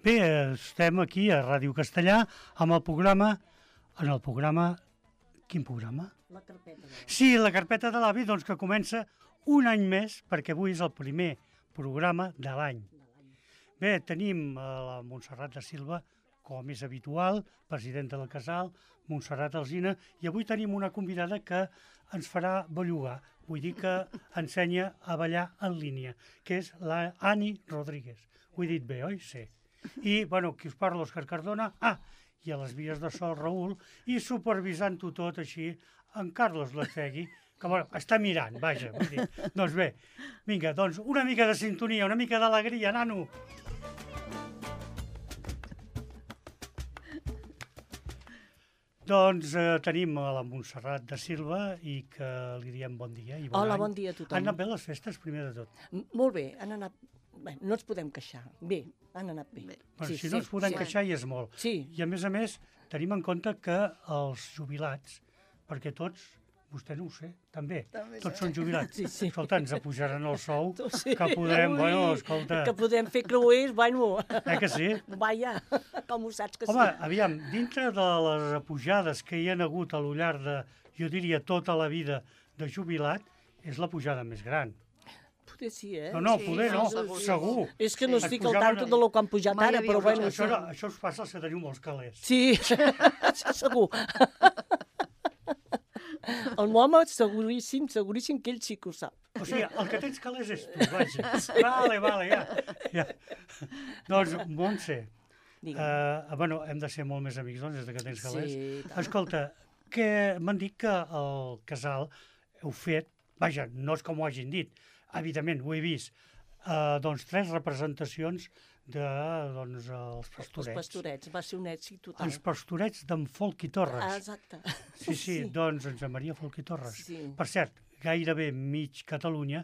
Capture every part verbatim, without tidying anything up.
Bé, estem aquí a Ràdio Castellà amb el programa, en el programa, quin programa? La carpeta de l'avi. Sí, la carpeta de l'avi, doncs que comença un any més, perquè avui és el primer programa de l'any. Bé, tenim a la Montserrat de Silva, com és habitual, presidenta del casal, Montserrat Alsina, i avui tenim una convidada que ens farà bellugar, vull dir que ensenya a ballar en línia, que és la Ani Rodríguez. Ho he dit bé, oi? Sí. I, bueno, qui us parla, Òscar Cardona, ah, i a les vies de so, Raül, i supervisant-ho tot així, en Carlos Lacegui, que, bueno, està mirant, vaja, vull dir. Doncs bé, vinga, doncs una mica de sintonia, una mica d'alegria, nano. Doncs eh, tenim a la Montserrat de Silva i que li diem bon dia i bon Hola, any. bon dia a tothom. Han anat bé les festes, primer de tot? M- Molt bé, han anat... Bé, no ens podem queixar. Bé, han anat bé. Bé. Bueno, si no ens podem sí. queixar, i és molt. Sí. I a més a més, tenim en compte que els jubilats, perquè tots, vostè no ho sé, també, També tots sé. són jubilats. Sí, sí. Escolta, ens apujaran el sou, Sí. que podrem, Ui, bueno, escolta, Que podem fer creuers, bueno... eh que sí? Vaja, com ho saps que Home, sí. aviam, dintre de les pujades que hi ha hagut a lo llarg de, jo diria, tota la vida de jubilat, és la pujada més gran. Poder sí, eh? No, no, Sí, poder no, segur, segur. És que no Es estic al pujaven tanto a- de lo que han pujat Mai ara, havia però bueno... Això, no, això us passa als que teniu molts calés. Sí, això segur. El Moma, seguríssim, seguríssim que ell sí que ho sap. O sigui, el que tens calés és tu, vaja. Vale, vale, ja. ja. Doncs, Montse, Digue'm. uh, bueno, hem de ser molt més amics, doncs, des de que tens calés. Sí, tant. Escolta, que m'han dit que el casal heu fet, vaja, no és com ho hagin dit, evidentment, ho he vist, uh, doncs tres representacions de, doncs, els Els pastorets. pastorets, va ser un èxit total. Els pastorets d'en Folk i Torres. Ah, exacte. Sí, sí, doncs en Josep Maria Folk i Torres. Sí. Per cert, gairebé mig Catalunya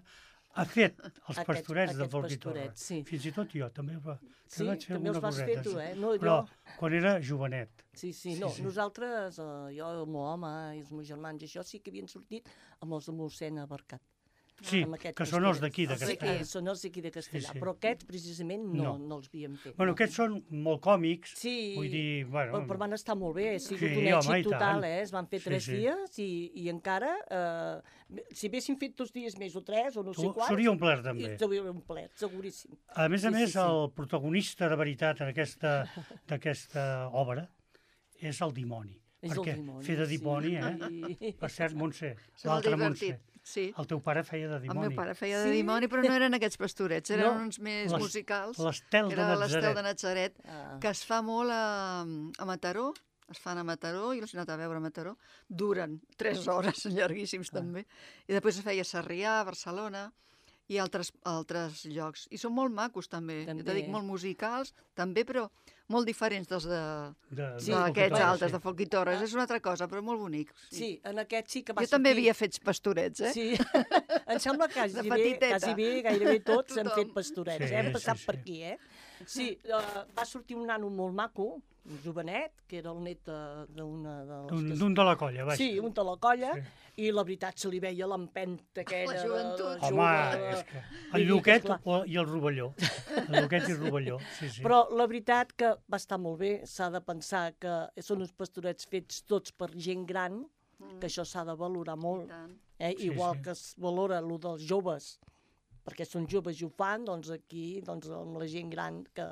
ha fet els Aquests- pastorets de aquests Folk i Torres. pastorets, sí. Fins i tot jo també, va, Sí, també vaig fer també els alguna vas coseta. fer tu, sí. eh? No, Però jo- quan era jovenet. Sí, sí, Sí, no, sí. nosaltres, eh, jo, el meu home i els meus germans i això sí que havien sortit amb els de mossèn Abarcat. Sí, amb aquests que són els pastorets. d'aquí, de Els d'aquí, Castellà. són els d'aquí de Castellà, Sí, sí. però aquests precisament no, No. no, els havíem fet. Bueno, no. aquests són molt còmics, Sí, vull dir, bueno... però, però van estar molt bé, ha sigut Sí, un home, èxit i tant. total, eh? Es van fer Sí, tres sí. dies i, i encara, eh, si haguéssim fet dos dies més o tres o no sé Tu- quants... S'hauria omplert, també. i S'hauria omplert, seguríssim. A més a Sí, més, sí, sí. el protagonista de veritat en aquesta- d'aquesta obra és el dimoni. És el Perquè dimoni, fer de sí. dimoni, eh? Sí. Per cert, Montse, És molt l'altre Montse, divertit. Sí. el teu pare feia de El dimoni. meu pare feia de Sí? dimoni, però no eren aquests pastorets, eren No. uns més Les- musicals. L'Estel que de era l'Estel Natzaret. de Natzaret, Ah. que es fa molt a, a Mataró, es fan a Mataró, jo els he anat a veure a Mataró, duren tres hores, llarguíssims Ah. també, i després es feia a Sarrià, a Barcelona, i altres, altres llocs. I són molt macos també, També. jo t'he dit molt musicals, també, però molt diferents dels de, De, Sí, de Folk i d'aquests Torres, altres, sí. de Folk i Torres. És una altra cosa, però molt bonic. Sí, en aquest sí que va Jo també sortir... havia fet pastorets, eh? Sí, em sembla que quasi De bé, petiteta. quasi bé, gairebé tots hem Tothom. fet pastorets, Sí, hem passat sí, per sí. aquí, eh? Sí, uh, va sortir un nano molt maco, un jovenet, que era el net de- d'una de les... D'un que- d'un de la colla, vaja. Sí, un de la colla, Sí. i la veritat se li veia l'empenta aquella... La de- joventut. de Home, jove, és que Vull el dir que, Lluquet esclar. o- i el Rovelló. El Lluquet i el Rovelló, sí, sí. Però la veritat que va estar molt bé, s'ha de pensar que són uns pastorets fets tots per gent gran, que això s'ha de valorar I molt. tant. Eh? Sí, Igual sí. que es valora el dels joves, perquè són joves i ho fan, doncs aquí, doncs amb la gent gran que,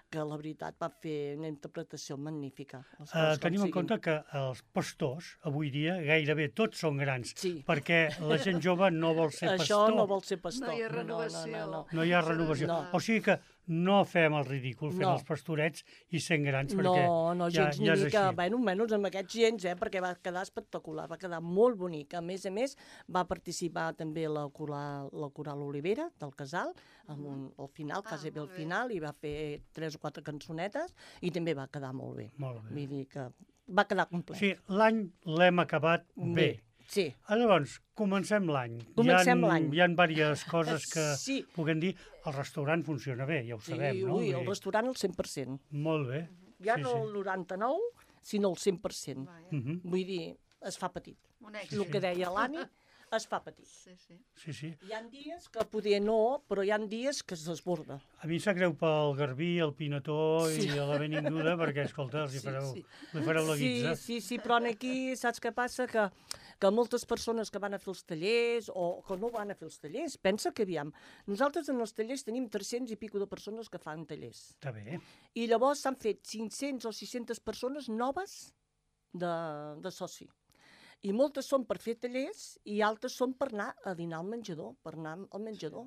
que la veritat va fer una interpretació magnífica. Les Uh, coses com tenim en siguin. compte que els pastors, avui dia, gairebé tots són grans, Sí. perquè la gent jove no vol ser Això pastor. no vol ser pastor. No hi ha No, no, renovació. no, no. No hi ha renovació. No. O sigui que no fem el ridícul fent No. els pastorets i sent grans, No, perquè no, ja, gens ja és ni mica, així. bueno, menys amb aquests gens, eh, perquè va quedar espectacular, va quedar molt bonic. A més a més, va participar també la coral, la coral Olivera, del casal, amb un, al final, Ah, quasi bé al molt bé. final, i va fer tres o quatre cançonetes, i també va quedar molt bé. Molt bé. Vull dir que va quedar complet. Sí, l'any l'hem acabat bé. Sí. Ah, Llavors, comencem l'any. Comencem hi ha, l'any. Hi ha diverses coses que Sí. puguem dir. El restaurant funciona bé, ja ho Sí, sabem, no? ui, Vull el dir, restaurant al cent per cent. Molt bé. Ja sí, no sí. el noranta-nou, sinó el cent per cent. Vaja, Mhm. Vull dir, es fa petit. un èxit. El que deia l'Anni, es fa petit. Sí, sí. Sí, sí. Hi ha dies que poder no, però hi ha dies que es desborda. A mi em sap greu pel Garbí, el Pinató Sí. i a la Benvinguda, perquè, escolta, els hi Sí, fareu, sí. li fareu la guitza. Sí, sí, sí, però aquí saps què passa? Que, que moltes persones que van a fer els tallers o que no van a fer els tallers, pensa que, aviam, nosaltres en els tallers tenim tres-cents i pico de persones que fan tallers. Està bé. I llavors s'han fet cinc-cents o sis-centes persones noves de, de soci. I moltes són per fer tallers i altres són per anar a dinar al menjador, per anar al menjador.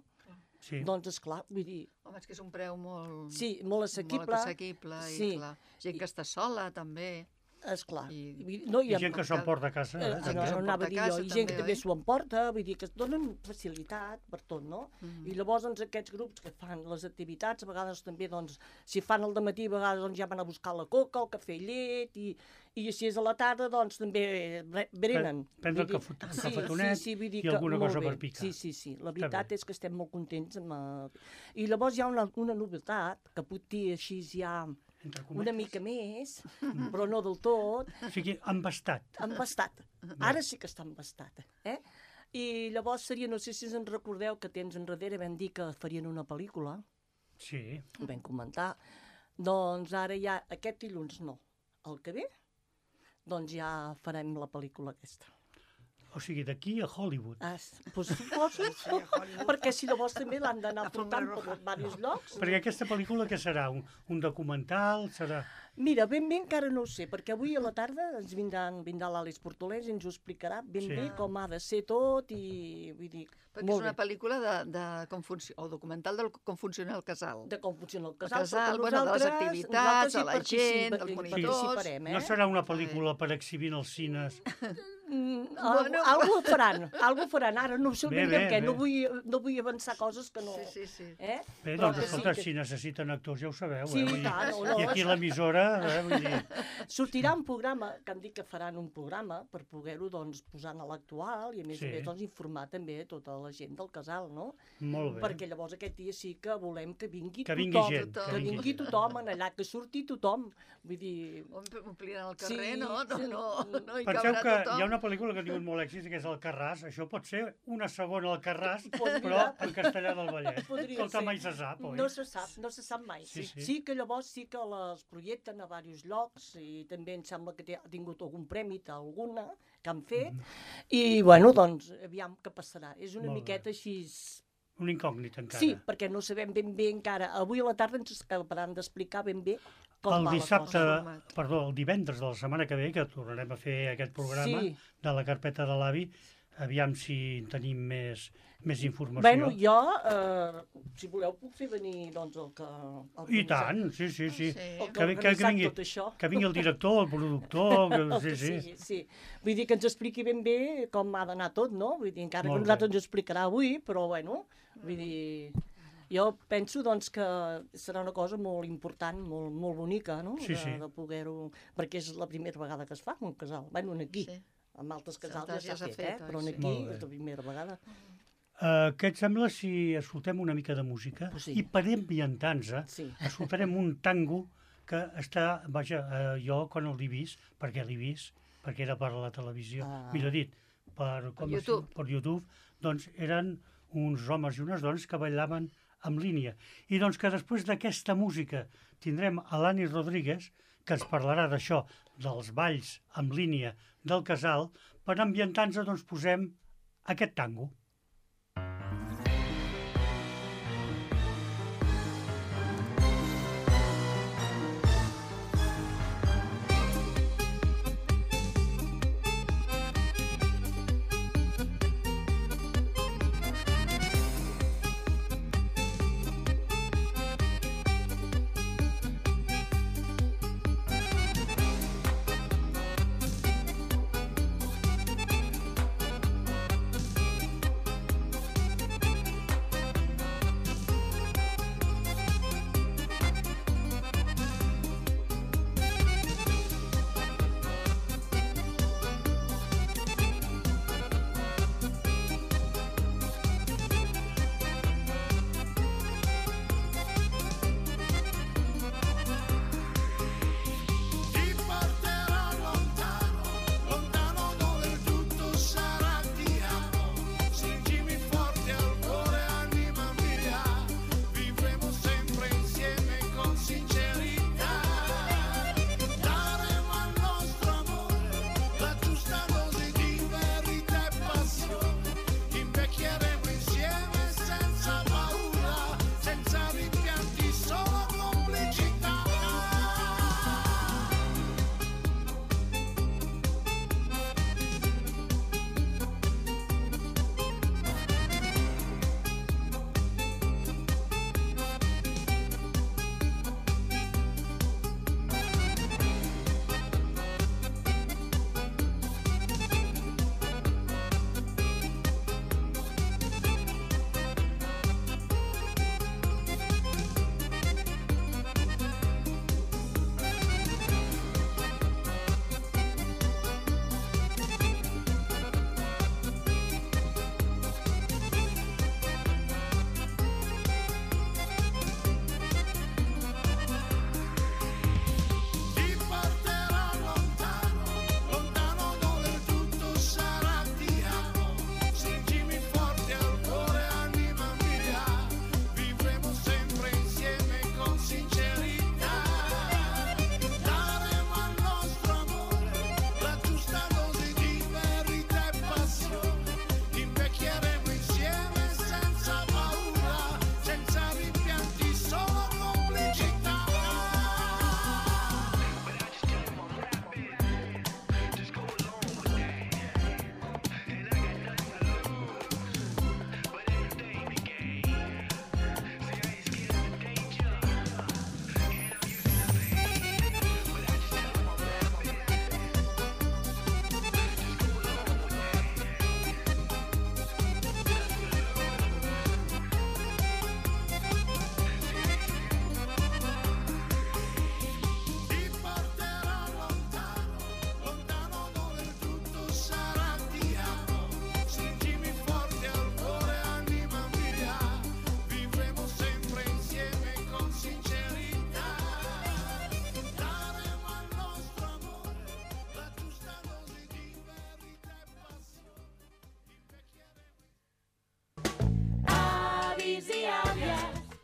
Sí. Doncs, esclar, vull dir, Home, és que és un preu molt... sí, molt assequible. Molt assequible, Sí. i clar. Gent que està sola, també. Esclar. I- Vull dir, no, I hi ha, gent que s'ho emporta a casa. Eh, Eh? no, que no, s'ho anava emporta a dir a jo, casa i gent que també, també oi? s'ho emporta, vull dir que es donen facilitat per tot, no? Mhm. I llavors doncs, aquests grups que fan les activitats, a vegades també, doncs, si fan el dematí, a vegades doncs, ja van a buscar la coca, el cafè i llet, i, i així és a la tarda, doncs també bre- brenen. Prendre Vull el dir- cafet- el sí, cafetonet sí, sí, vull dir i alguna molt cosa bé. per picar. Sí, sí, sí, la veritat bé. és que estem molt contents. Amb, eh, I llavors hi ha una, una novetat, que puc dir així ja Entre una cometes. mica més, però no del tot, O sigui, embastat. embastat. Ara sí que està embastat. Eh? I llavors seria, no sé si us en recordeu que temps enrere vam dir que farien una pel·lícula, Sí. ho vam comentar, doncs ara ja, aquest dilluns no, el que ve, doncs ja farem la pel·lícula aquesta. O sigui, d'aquí a Hollywood. Ah, doncs suposo, perquè si llavors també l'han d'anar portant per diversos llocs. Perquè aquesta pel·lícula què serà? Un, un documental? Serà... Mira, ben bé encara no ho sé, perquè avui a la tarda ens vindran, vindrà l'Àlex Portolès i ens ho explicarà ben Sí. bé com ha de ser tot i vull dir, Perquè és molt una bé. pel·lícula de, de com funci... o documental de com funciona el casal. De com funciona el El casal, casal, perquè bueno, de les nosaltres- activitats, nosaltres hi de la gent, participa- dels hi monitors. participarem, eh? No serà una pel·lícula per exhibir als cines? Mm, Bueno. algo, algo faran, algo faran. Ara no sé Bé, ben bé, bé què, no bé. vull, no vull avançar coses que no... Sí, sí, sí. Eh? Bé, Però doncs, que escolta, sí, si necessiten actors ja ho sabeu, Sí, eh? Vull i dir, tant, o no. I aquí a l'emissora, eh? Vull dir, Sortirà un programa, que han dit que faran un programa per poder-ho doncs, posar a l'actual i a més Sí. a més doncs, informar també tota la gent del casal, no? molt bé. Perquè llavors aquest dia sí que volem que vingui Que tothom. vingui gent. tothom. Que vingui tothom en allà, que surti tothom. Vull dir... Omplien el carrer, Sí, no? No, sí. no, no hi Penseu cabrà que tothom. hi ha una pel·lícula que ha tingut molt èxit, que és Alcarràs. Això pot ser una segona Alcarràs, Podria. però en castellà del Vallès. Podria Escolta, ser. mai se sap, oi? No se sap, no se sap mai. Sí, sí. sí que llavors sí que les projecten a diversos llocs i també em sembla que té- ha tingut algun premi alguna que han fet i bueno, doncs aviam què passarà. És una Molt bé. miqueta així... Un incògnit, encara. Sí, perquè no sabem ben bé encara. Avui a la tarda ens acabaran d'explicar ben bé com El va dissabte, la cosa. perdó, el divendres de la setmana que ve, que tornarem a fer aquest programa Sí. de la carpeta de l'avi, aviam si en tenim més, més informació. Bueno, jo, eh, si voleu, puc fer venir doncs, el que... El I tant, sí, sí, sí. Sí. El que, Que vi- que- que que vingui- tot això. Que vingui el director, el productor, que, El sí, que sí. sigui, sí. Vull dir que ens expliqui ben bé com ha d'anar tot, no? Vull dir, encara Molt que nosaltres bé. ens ho explicarà avui, però bueno, vull dir... Jo penso doncs, que serà una cosa molt important, molt, molt bonica, no? Sí, de, sí. de poder-ho... Perquè és la primera vegada que es fa un casal. Bueno, aquí. Sí. Amb altres Sí, casals altres ja ja s'ha s'ha fet, eh? fet, oi? Però Sí. aquí Molt bé. és la primera vegada. Uh, què et sembla si escoltem una mica de música? Pues sí. I per ambientar-nos, Sí. escoltarem un tango que està, vaja, uh, jo quan l'he vist, perquè l'he vist, perquè era per la televisió, Ah. millor dit, per, com es- YouTube. per YouTube, doncs eren uns homes i unes dones que ballaven en línia. I doncs que després d'aquesta música tindrem a l'Ani Rodríguez, que ens parlarà d'això, dels balls en línia del casal. Per ambientar-nos, doncs, posem aquest tango.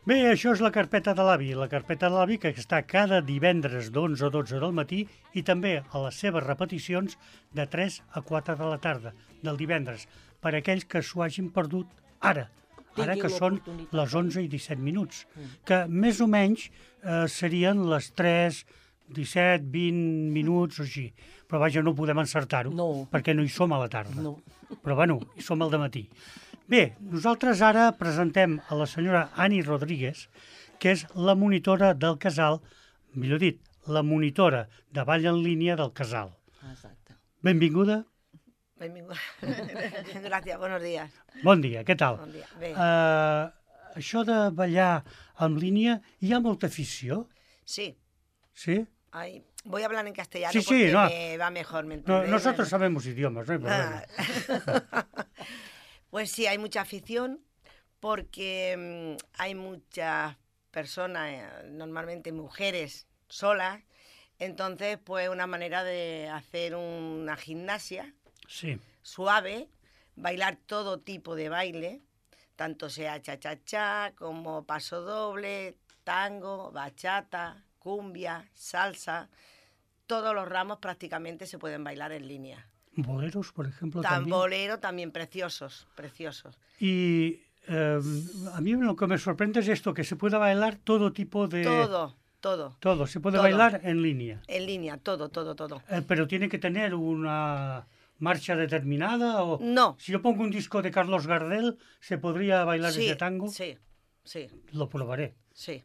Bé, això és la carpeta de l'avi. La carpeta de l'avi que està cada divendres d'onze a dotze del matí i també a les seves repeticions de tres a quatre de la tarda, del divendres, per a aquells que s'ho hagin perdut ara, ara Tinguin que són l'oportunitat, les eh? onze i disset minuts, que més o menys eh, serien les tres, disset, vint minuts o així. Però vaja, no podem encertar-ho, No. perquè no hi som a la tarda. No. Però bueno, hi som al dematí. Bé, nosaltres ara presentem a la senyora Ani Rodríguez, que és la monitora del casal, millor dit, la monitora de ball en línia del casal. Exacte. Benvinguda. Benvinguda. Gràcies, buenos días. Bon dia, què tal? Bon dia. Bé. Uh, això de ballar en línia, hi ha molta afició? Sí. Sí? Ay, voy a hablar en castellano Sí, sí, porque no. me va mejor, ¿me No, entendéis? nosotros sabemos idiomas, no hay problema. Ah. Pues sí, hay mucha afición porque mm, hay muchas personas, eh, normalmente mujeres solas, entonces pues una manera de hacer una gimnasia Sí. suave, bailar todo tipo de baile, tanto sea cha-cha-cha como paso doble, tango, bachata, cumbia, salsa, todos los ramos prácticamente se pueden bailar en línea. Boleros, por ejemplo, también. Tambolero también preciosos, preciosos. Y eh, a mí lo que me sorprende es esto, que se puede bailar todo tipo de... Todo, todo, Todo, se puede Todo. bailar en línea. en línea, todo, todo, todo. Eh, pero tiene que tener una marcha determinada o... No. Si yo pongo un disco de Carlos Gardel, ¿se podría bailar Sí, ese tango? sí, sí, Lo probaré. sí.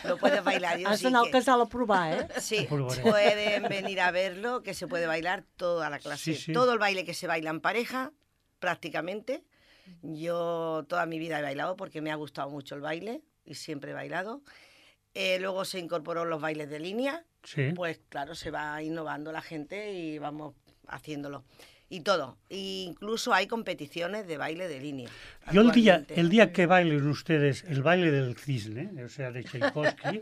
Lo puedes bailar. Yo Has sí d'anar al que- casal a provar, eh? Sí, Lo probaré. pueden venir a verlo, que se puede bailar toda la clase. Sí, sí. Todo el baile que se baila en pareja, prácticamente. Yo toda mi vida he bailado porque me ha gustado mucho el baile y siempre he bailado. Eh, luego se incorporó los bailes de línea, Sí. pues claro, se va innovando la gente y vamos haciéndolo. Y todo. E incluso hay competiciones de baile de línea. Yo el día, actualmente. el día que bailen ustedes el baile del cisne, o sea, de Tchaikovsky,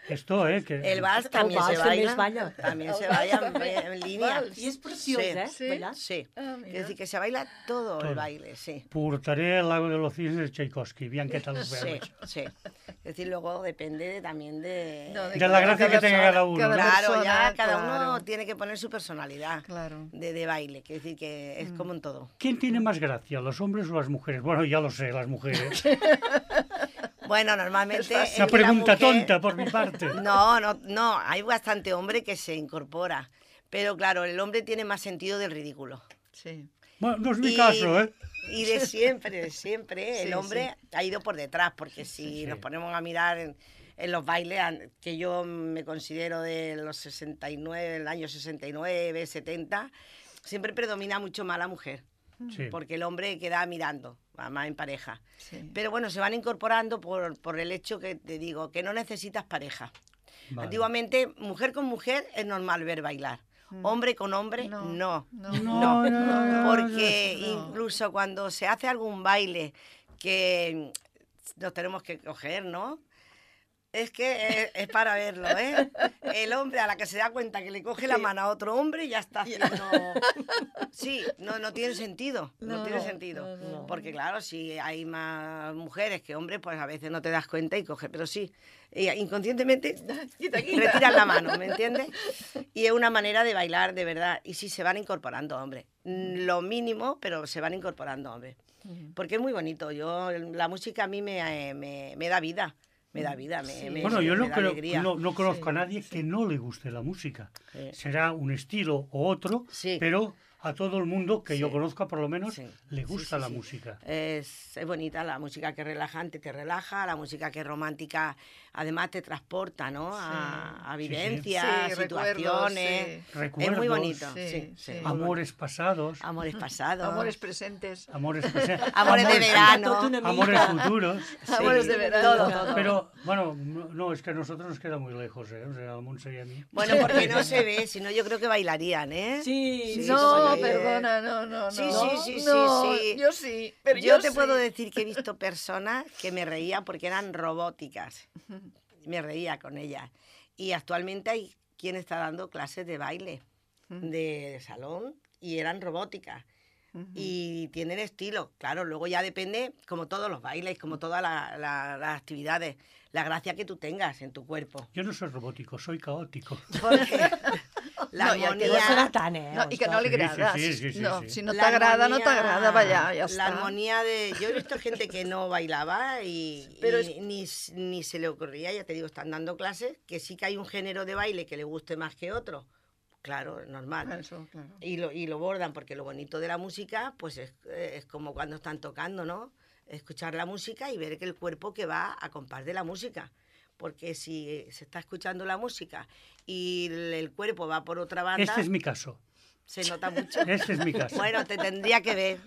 esto, ¿eh? Que, El vals también vals se també baila. es balla. También se baila en, en línea. I és preciós, Sí. eh? Sí. Ballar. Sí. Ah, Es mira. decir, que se baila todo, Todo. el baile, sí. Portaré el lago de los cisnes de Tchaikovsky, bien que tal lo Sí, vean. sí. Es decir, luego depende de- también de... No, De la gracia que tenga persona. cada uno. Cada ¿no? Claro, persona, ya cada uno claro. tiene que poner su personalidad Claro. de, de baile, que decir que es como en todo. ¿Quién tiene más gracia, los hombres o las mujeres? Bueno, ya lo sé, las mujeres. Bueno, normalmente... Una es la pregunta mujer- tonta por mi parte. No, no, no, hay bastante hombre que se incorpora. Pero claro, el hombre tiene más sentido del ridículo. Sí. Bueno, no es mi Y- caso, ¿eh? Y de siempre, de siempre, Sí, el hombre ha ido por detrás, porque si sí. nos ponemos a mirar en, en los bailes, an- que yo me considero de los sesenta y nueve, el año sesenta y nueve, setenta, siempre predomina mucho más la mujer, Sí. porque el hombre queda mirando, más en pareja. Sí. Pero bueno, se van incorporando por, por el hecho que te digo, que no necesitas pareja. Vale. Antiguamente, mujer con mujer es normal ver bailar. Hombre con hombre, No, no. no, No, no, no, no, Porque no. incluso cuando se hace algún baile que nos tenemos que coger, ¿no? Es que es, es para verlo, ¿eh? El hombre a la que se da cuenta que le coge la mano a otro hombre ya está haciendo... Sí, no, no tiene sentido, no, No, tiene no, sentido. no, no. Porque claro, si hay más mujeres que hombres, pues a veces no te das cuenta y coge, pero sí, ella inconscientemente Quita, quita. retiran la mano, ¿me entiendes? Y es una manera de bailar, de verdad. Y sí, se van incorporando, hombre. Mm, Lo mínimo, pero se van incorporando, hombre. Porque es muy bonito. Yo, la música a mí me, me, me da vida. Me da vida, me, Sí. me- Bueno, yo me no, da creo, alegría. no, no conozco Sí. a nadie que no le guste la música. Sí. Será un estilo o otro, Sí. pero a todo el mundo que yo Sí. conozca, por lo menos, Sí. le Sí, gusta sí, la sí. música. Es, es bonita la música que es relajante, te relaja, la música que es romántica, además te transporta, ¿no? A, a Sí, sí. vivencias, Sí, recuerdos, situaciones. sí. Es Recuerdos, muy bonito, Sí, sí, sí, sí. muy bonito. amores pasados, Amores pasados. Amores presentes. amores, presen- Amores de verano. Tot una mica. amores futuros. Sí, Amores de verano. Todo, todo. Pero, bueno, no, no, es que a nosotros nos queda muy lejos, ¿eh? O sea, a Montse y a mí. Bueno, porque no se ve, si no yo creo que bailarían, ¿eh? Sí, Sí, sí, No, sí. perdona, no, no, no. Sí, sí, sí, sí, No, sí. Yo sí, pero Yo yo, te sí. puedo decir que he visto personas que me reía porque eran robóticas. Me reía con ellas. Y actualmente hay quien está dando clases de baile, de, de salón, y eran robóticas. y tienen estilo. Claro, luego ya depende, como todos los bailes, como todas la- la- las actividades, la gracia que tú tengas en tu cuerpo. Yo no soy robótico, soy caótico. Porque la No, i el que No Ja. serà tant, eh? No, I que no li Sí, sí, agrada. sí, sí, sí, no, sí. Si no la t'agrada, no armonía- t'agrada ballar, ja La està. armonía de... Yo he visto gente que no bailaba y, Pero y ni, ni se le ocurría, ya te digo, están dando clases, que sí que hay un género de baile que le guste más que otro. Claro, es normal. Eso, claro. Y lo, y lo bordan, porque lo bonito de la música, pues es, es como cuando están tocando, ¿no? Escuchar la música y ver que el cuerpo que va a compás de la música. Porque si se está escuchando la música y el, el cuerpo va por otra banda, Este es mi caso. se nota mucho. Este es mi caso. Bueno, te tendría que ver.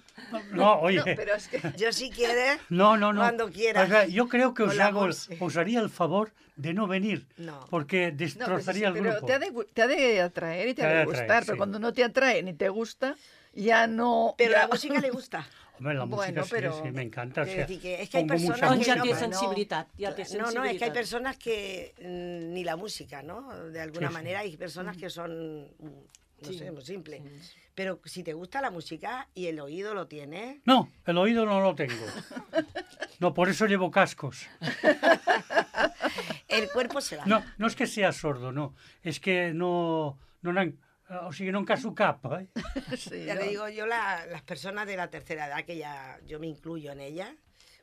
No, oye. No, pero es que... Yo si quieres, No, no, no. cuando quieras. O sea, yo creo que Con os la hago, Monse. os haría el favor de no venir, No. porque No, pues destrozaría sí, el pero grupo. te ha, de, gu- te ha de atraer y te, Te ha ha de de gustar, atraer, pero sí. cuando no te atrae ni te gusta, ya no... Pero ya... la música le gusta. Hombre, la música Bueno, sí, pero- sí, me encanta. O Quiero sea, decir que es que hay pongo mucha personas Doncs ja música, té pero- no. sensibilitat, ja té No, sensibilitat. no, es que hay personas que mm, ni la música, ¿no? De alguna Sí, sí. manera hay personas que son, mm, no Sí, sé, muy simple. sí. Pero si te gusta la música y el oído lo tienes, No, el oído no lo tengo. No, por eso llevo cascos. el cuerpo se va. No, no és que sea sordo, no. És que no... no n'han- o sigui, no en caso cap, eh? Sí, Ya no. le digo yo, la- las personas de la tercera edad, que ya yo me incluyo en ellas,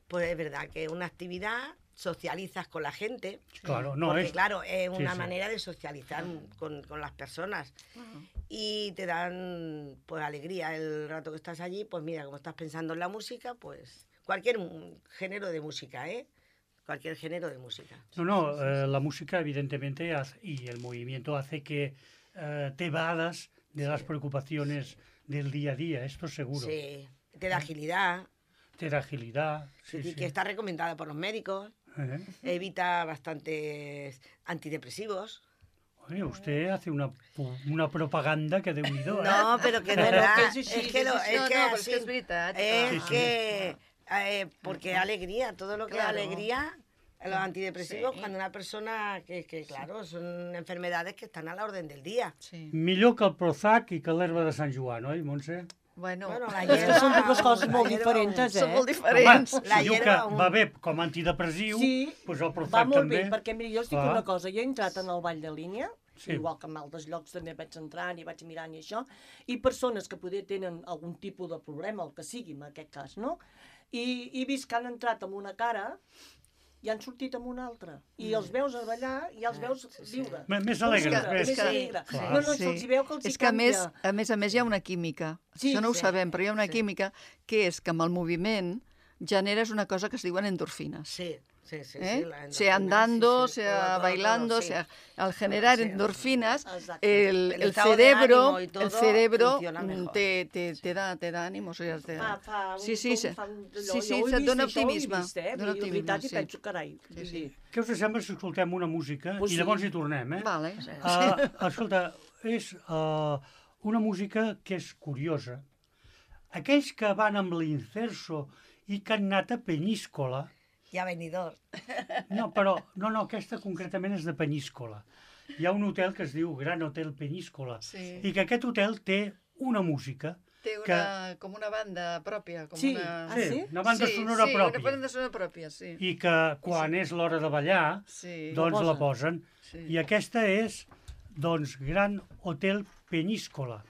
pues es verdad que es una actividad, socializas con la gente. Claro, no porque es... claro, es una sí. manera de socializar con, con las personas. Y te dan pues alegría el rato que estás allí, pues mira, como estás pensando en la música, pues cualquier mm, género de música, ¿eh? Cualquier género de música. No, no, eh, la música evidentemente hace- y el movimiento hace que eh, te evadas de las preocupaciones del día a día, esto seguro. Sí, te da agilidad, Te da agilidad. Sí, y sí. que está recomendada por los médicos, Eh, evita bastantes antidepresivos. Oye, usted hace una, pu- una propaganda que de unido, ¿eh? No, pero que de Bueno, verdad, que és així, es que, lo, és així. es No, que no, però és así- que és veritat. es Sí, sí. que, eh, porque alegría, todo lo que Claro. es alegría, los antidepresivos, Sí. cuando una persona que, que claro, son enfermedades que están a la orden del día. Sí. Millor que el Prozac i que l'herba de Sant Joan, oi, Montse? Bueno, Bueno, la És que són dues coses la molt hierba, diferents, són eh? molt diferents. Home, La si diu que hierba, un- va bé com a antidepressiu, Sí, doncs el va Prozac molt també. bé, perquè mira, jo us dic Clar. una cosa, jo he entrat en el ball de línia, Sí. igual que en altres llocs també vaig entrant i vaig mirant i això, i persones que poder tenen algun tipus de problema, el que sigui en aquest cas, no? I, i vist que han entrat amb una cara i han sortit amb una altra. I els veus a ballar i els veus sí, sí. viure. M- Més alegres, Viure, més. més que- alegre. Clar. No, no, se'ls hi veu que els hi és que a més, canvia. a més a més hi ha una química. Sí, Això no ho sí. sabem, però hi ha una Sí. química que és que amb el moviment generes una cosa que es diuen endorfines. Sí, sí, sí. ¿eh? sí, la endorfina, sea andando, sí, sí, sea todo, todo, bailando, todo, sí. sea al generar Sí. endorfinas, Exacto. el, El el estado de cerebro, ánimo y todo el cerebro funciona mm, mejor. te, te, te da, te da ánimo, o sigui, te... Fa, fa un, sí, sí, sí. fa un, allò, Sí, sí, jo ho he se't vist, dona això ho he optimisme, Vist, eh? dona I, la veritat, optimisme, i sí. penso, carai, Sí, vull sí. dir, Què us sembla si escoltem una música Pues i sí. llavors hi tornem, eh? Vale. Uh, escolta, és uh, una música que és curiosa. Aquells que van amb l'incerso i que han anat a Penyíscola, Y a venidor. no, però, no, no, aquesta concretament és de Penyíscola. Hi ha un hotel que es diu Gran Hotel Penyíscola Sí. i que aquest hotel té una música Té una, com una banda pròpia. Com Sí. una... Ah, sí? una banda sí, sonora sí, pròpia. una banda sonora pròpia, sí. I que quan és l'hora de ballar, Sí. doncs La la posen. Sí. I aquesta és, doncs, Gran Hotel Penyíscola.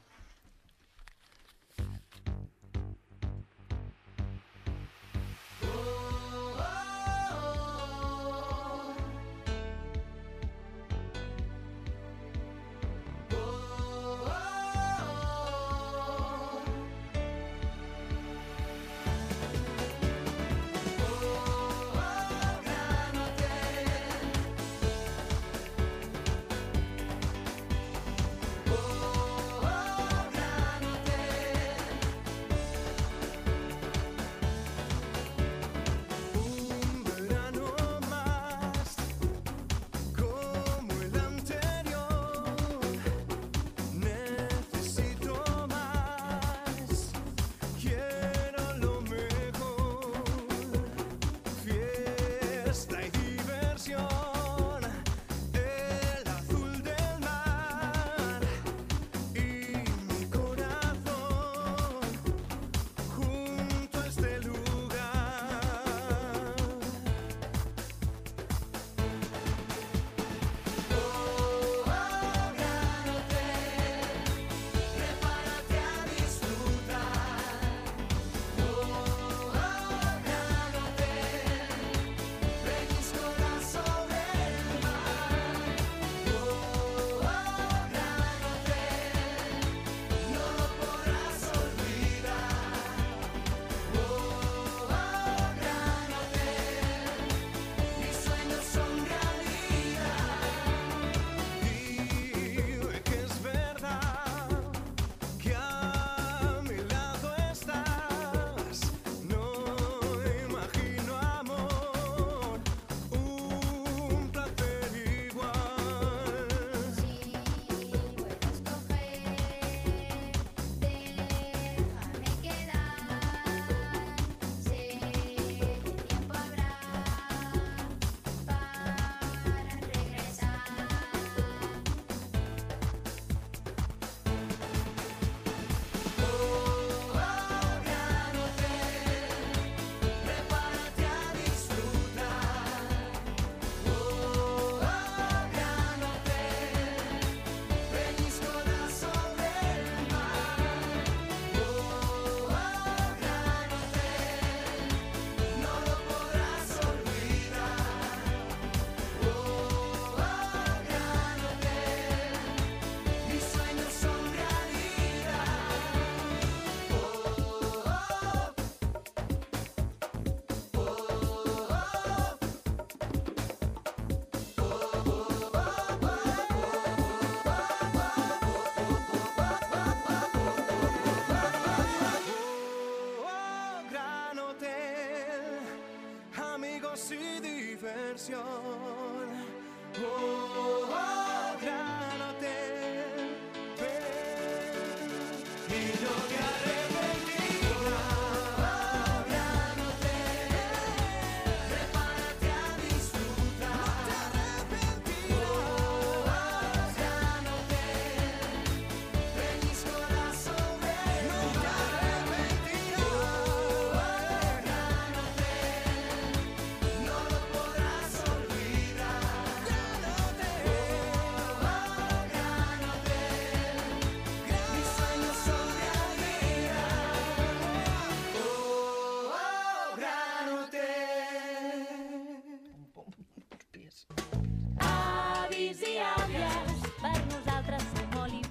Oh,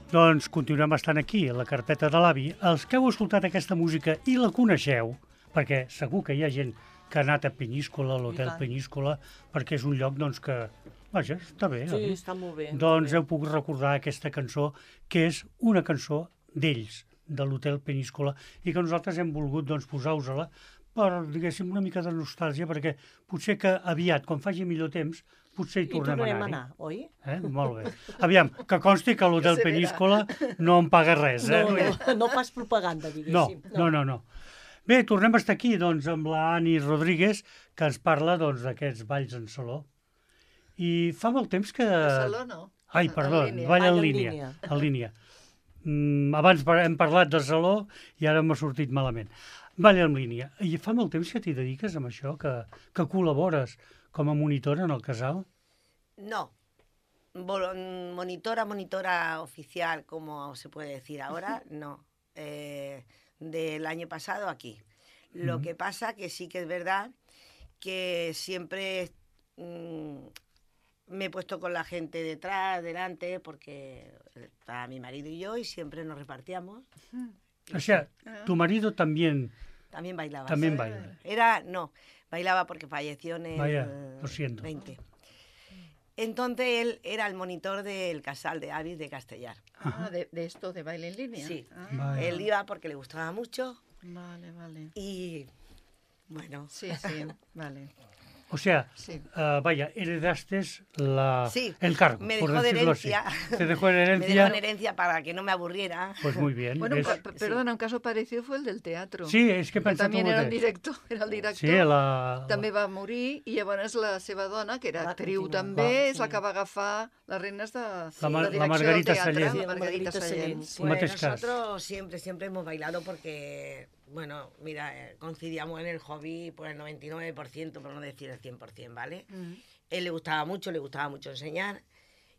Doncs continuem estant aquí, a la carpeta de l'avi. Els que heu escoltat aquesta música i la coneixeu, perquè segur que hi ha gent que ha anat a Penyíscola, a l'Hotel Penyíscola, perquè és un lloc doncs, que, vaja, està bé. Sí, està molt bé. Doncs heu pogut recordar aquesta cançó, que és una cançó d'ells, de l'Hotel Penyíscola, i que nosaltres hem volgut doncs, posar-vos-la per, diguéssim, una mica de nostàlgia, perquè potser que aviat, quan faci millor temps, potser hi tornem tornarem a a anar. anar, oi? Eh? Molt bé. Aviam, que consti que l'Hotel Que se verà. Penyíscola no em paga res, eh? No, no, no fas propaganda, No, diguéssim. no, no, no. Bé, tornem a estar aquí, doncs, amb la Ani Rodríguez, que ens parla, doncs, d'aquests balls en saló. I fa molt temps que... A Saló no. Ai, En perdó, línia. ball en Ball en línia. línia. En línia. Mm, abans par- hem parlat de saló i ara m'ha sortit malament. Ball en línia. I fa molt temps que t'hi dediques amb això, que, que col·labores com a monitora en el casal? No. Vol- Monitora, monitora oficial, como se puede decir ahora, no. Eh, del año pasado aquí. Lo Ujú. que pasa que sí que es verdad que siempre mm, me he puesto con la gente detrás, delante, porque está mi marido y yo y siempre nos repartíamos. O sea, tu marido también, También bailaba. también sí. baila. Era, no, bailaba porque falleció en el Vaya, lo siento. veinte. Entonces él era el monitor del Casal de Avis de Castellar. Ah, de, de esto, de baile en línea. Sí. Ah, Vaya. Él iba porque le gustaba mucho vale, vale. y bueno, Sí, sí, vale. O sea, Sí. ah, vaya, heredaste la, sí, el cargo, me por dejó de decirlo así. herencia. Te dejó en Me herencia. dejó en herencia para que no me aburriera. Pues muy bien. Bueno, és- pa- pa- perdona, un caso parecido fue el del teatro. Sí, és que he que pensat també el era el mateix. director, era el director. Sí, la... També va morir i llavors la seva dona, que era Va actriu continuar. també, Va, és la sí. que va agafar les regnes de La la, Mar- la direcció Margarita del teatre, Sallent. Sí, la la Margarita Margarita Sallent. Sallent, sí. En Pues mateix cas. nosotros siempre, siempre hemos bailado porque, bueno, mira, eh, coincidíamos en el hobby por el noventa y nueve por ciento, por no decir el cien por ciento, ¿vale? Mm. Él le gustaba mucho, le gustaba mucho enseñar.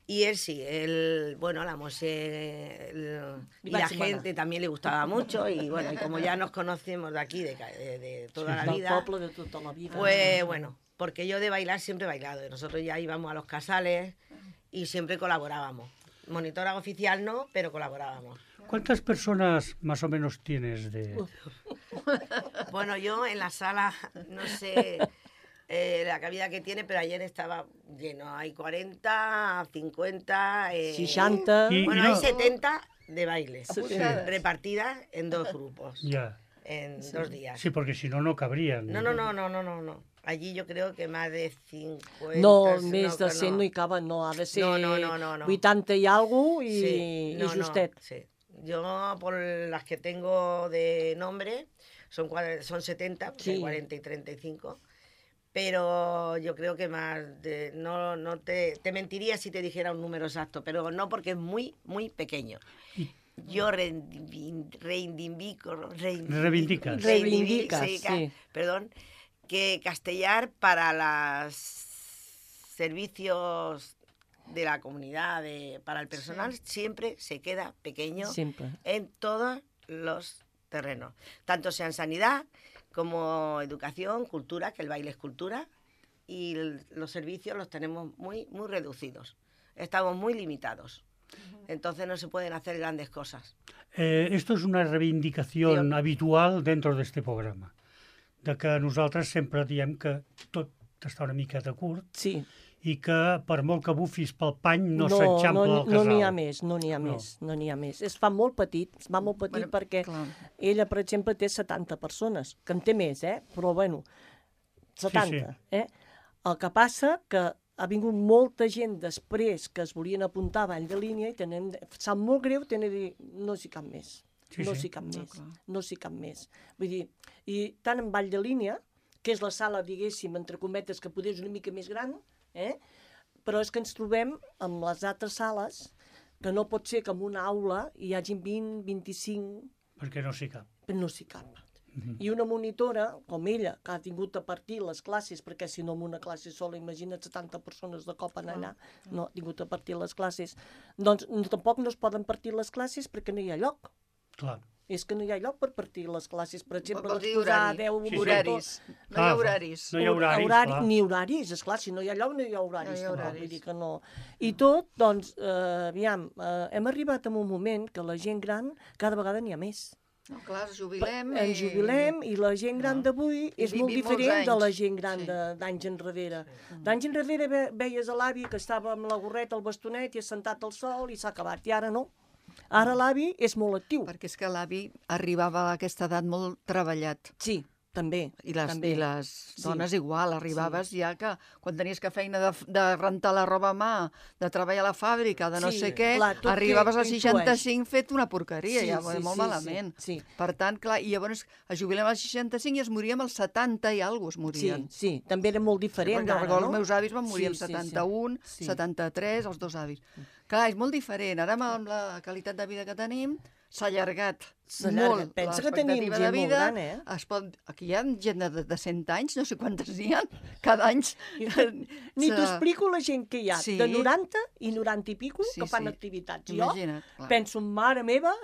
Y él sí, él, bueno, la Mose el- y la Máxima. gente también le gustaba mucho. Y bueno, y como ya nos conocemos de aquí, de, ca- de- de toda la Del vida, poble de tota la vida. pues bueno, porque yo de bailar siempre he bailado. Y nosotros ya íbamos a los casales y siempre colaborábamos. Monitora oficial no, pero colaborábamos. ¿Cuántas personas más o menos tienes de...? Bueno, yo en la sala, no sé eh, la cabida que tiene, pero ayer estaba lleno. Hay cuarenta, cincuenta... Eh, seixanta... I- Bueno, no. hay setenta de baile, Apuntadas. repartidas en dos grupos, Ya. en dos días. Sí, porque si no, no cabrían. No, no, no, no, no, no, no. Allí yo creo que más de cincuenta... No, si més de que cent no hi caben, no, ha de ser No, no, no, no, no. vuitanta i alguna i, Sí, no, i justet. no, sí. Yo, por las que tengo de nombre, son, cua- son setenta, porque hay Sí. cuarenta y treinta y cinco. Pero yo creo que más de... No, no te, te mentiría si te dijera un número exacto, pero no porque es muy, muy pequeño. Yo reivin- reivindico... reivin- Reivindicas. Reivindicas, sí, ca- sí. Perdón, que Castellar para los servicios de la comunidad, de, para el personal, siempre se queda pequeño Sempre. en todos los terrenos, tanto sea en sanidad como educación, cultura, que el baile es cultura, y el- los servicios los tenemos muy, muy reducidos. Estamos muy limitados. Entonces no se pueden hacer grandes cosas. Eh, esto es una reivindicación Sí. habitual dentro d'este programa, de que nosaltres sempre diem que tot està una miqueta curt Sí. i que per molt que bufis pel pany no, no, s'enxampla no, el casal. no n'hi ha més, no n'hi ha No. més, no n'hi ha més. Es fa molt petit, es fa molt petit Bueno, perquè clar. ella, per exemple, té setanta persones, que en té més, eh? Però, bueno, setanta, Sí, eh? El que passa que ha vingut molta gent després que es volien apuntar a ball de línia i tenen, sap molt greu tenir de dir, no hi cap més. Sí, no sí. s'hi cap No, més, clar. no s'hi cap més. Vull dir, i tant en Vall de Línia, que és la sala, diguéssim, entre cometes, que poder és una mica més gran, eh? Però és que ens trobem amb les altres sales, que no pot ser que en una aula hi hagi vint, vint-i-cinc, Perquè no s'hi cap. però no s'hi cap. Mhm. I una monitora, com ella, que ha tingut a partir les classes, perquè si no en una classe sola, imagina't setanta persones de cop en allà, no ha tingut a partir les classes, doncs no, tampoc no es poden partir les classes perquè no hi ha lloc. Clar. És que no hi ha lloc per partir les classes. Per exemple, Vol dir posar horari. deu Sí, sí. Horaris. No hi Clar, ha horaris. no hi ha horaris, horari, clar. ni horaris, esclar, si no hi ha lloc no hi ha horaris. No hi ha tampoc, horaris. Vull dir que no. I tot, doncs, eh, aviam, eh, hem arribat a un moment que la gent gran cada vegada n'hi ha més. No, clar, ens jubilem. Ens jubilem i la gent gran d'avui I és molt vivim molts diferent de la anys. gent gran Sí. de- d'anys enrere. D'anys enrere ve- veies a l'avi que estava amb la gorreta, el bastonet i assentat al sol i s'ha acabat. I ara no. Ara l'avi és molt actiu. Perquè és que l'avi arribava a aquesta edat molt treballat. Sí, també. I les, també. i les Sí. dones igual, arribaves ja que quan tenies que feina de, de rentar la roba a mà, de treballar a la fàbrica, de no Sí, sé què, clar, tot arribaves que als influeix. seixanta-cinc fet una porqueria, Sí, ja, sí, molt sí, malament. sí, sí. Per tant, clar, i llavors es jubilem als seixanta-cinc i es moríem als setanta i alguna cosa es Sí, morien. sí, també era molt diferent Perquè d'ara, recordo no? els meus avis van morir Sí, amb sí, sí. setanta-un, Sí. setanta-tres, els dos avis. Clar, és molt diferent. Ara amb la qualitat de vida que tenim s'ha allargat S'ha allargat. molt Pensa que tenim l'expectativa gent de molt vida. gran, eh? Es pot... Aquí hi ha gent de, de cent anys, no sé quantes n'hi ha, cada any. Ni s'ha- t'explico la gent que hi ha, Sí. de noranta i noranta i pico, Sí, que fan sí. activitats. Imagina't, Jo clar. penso, mare meva,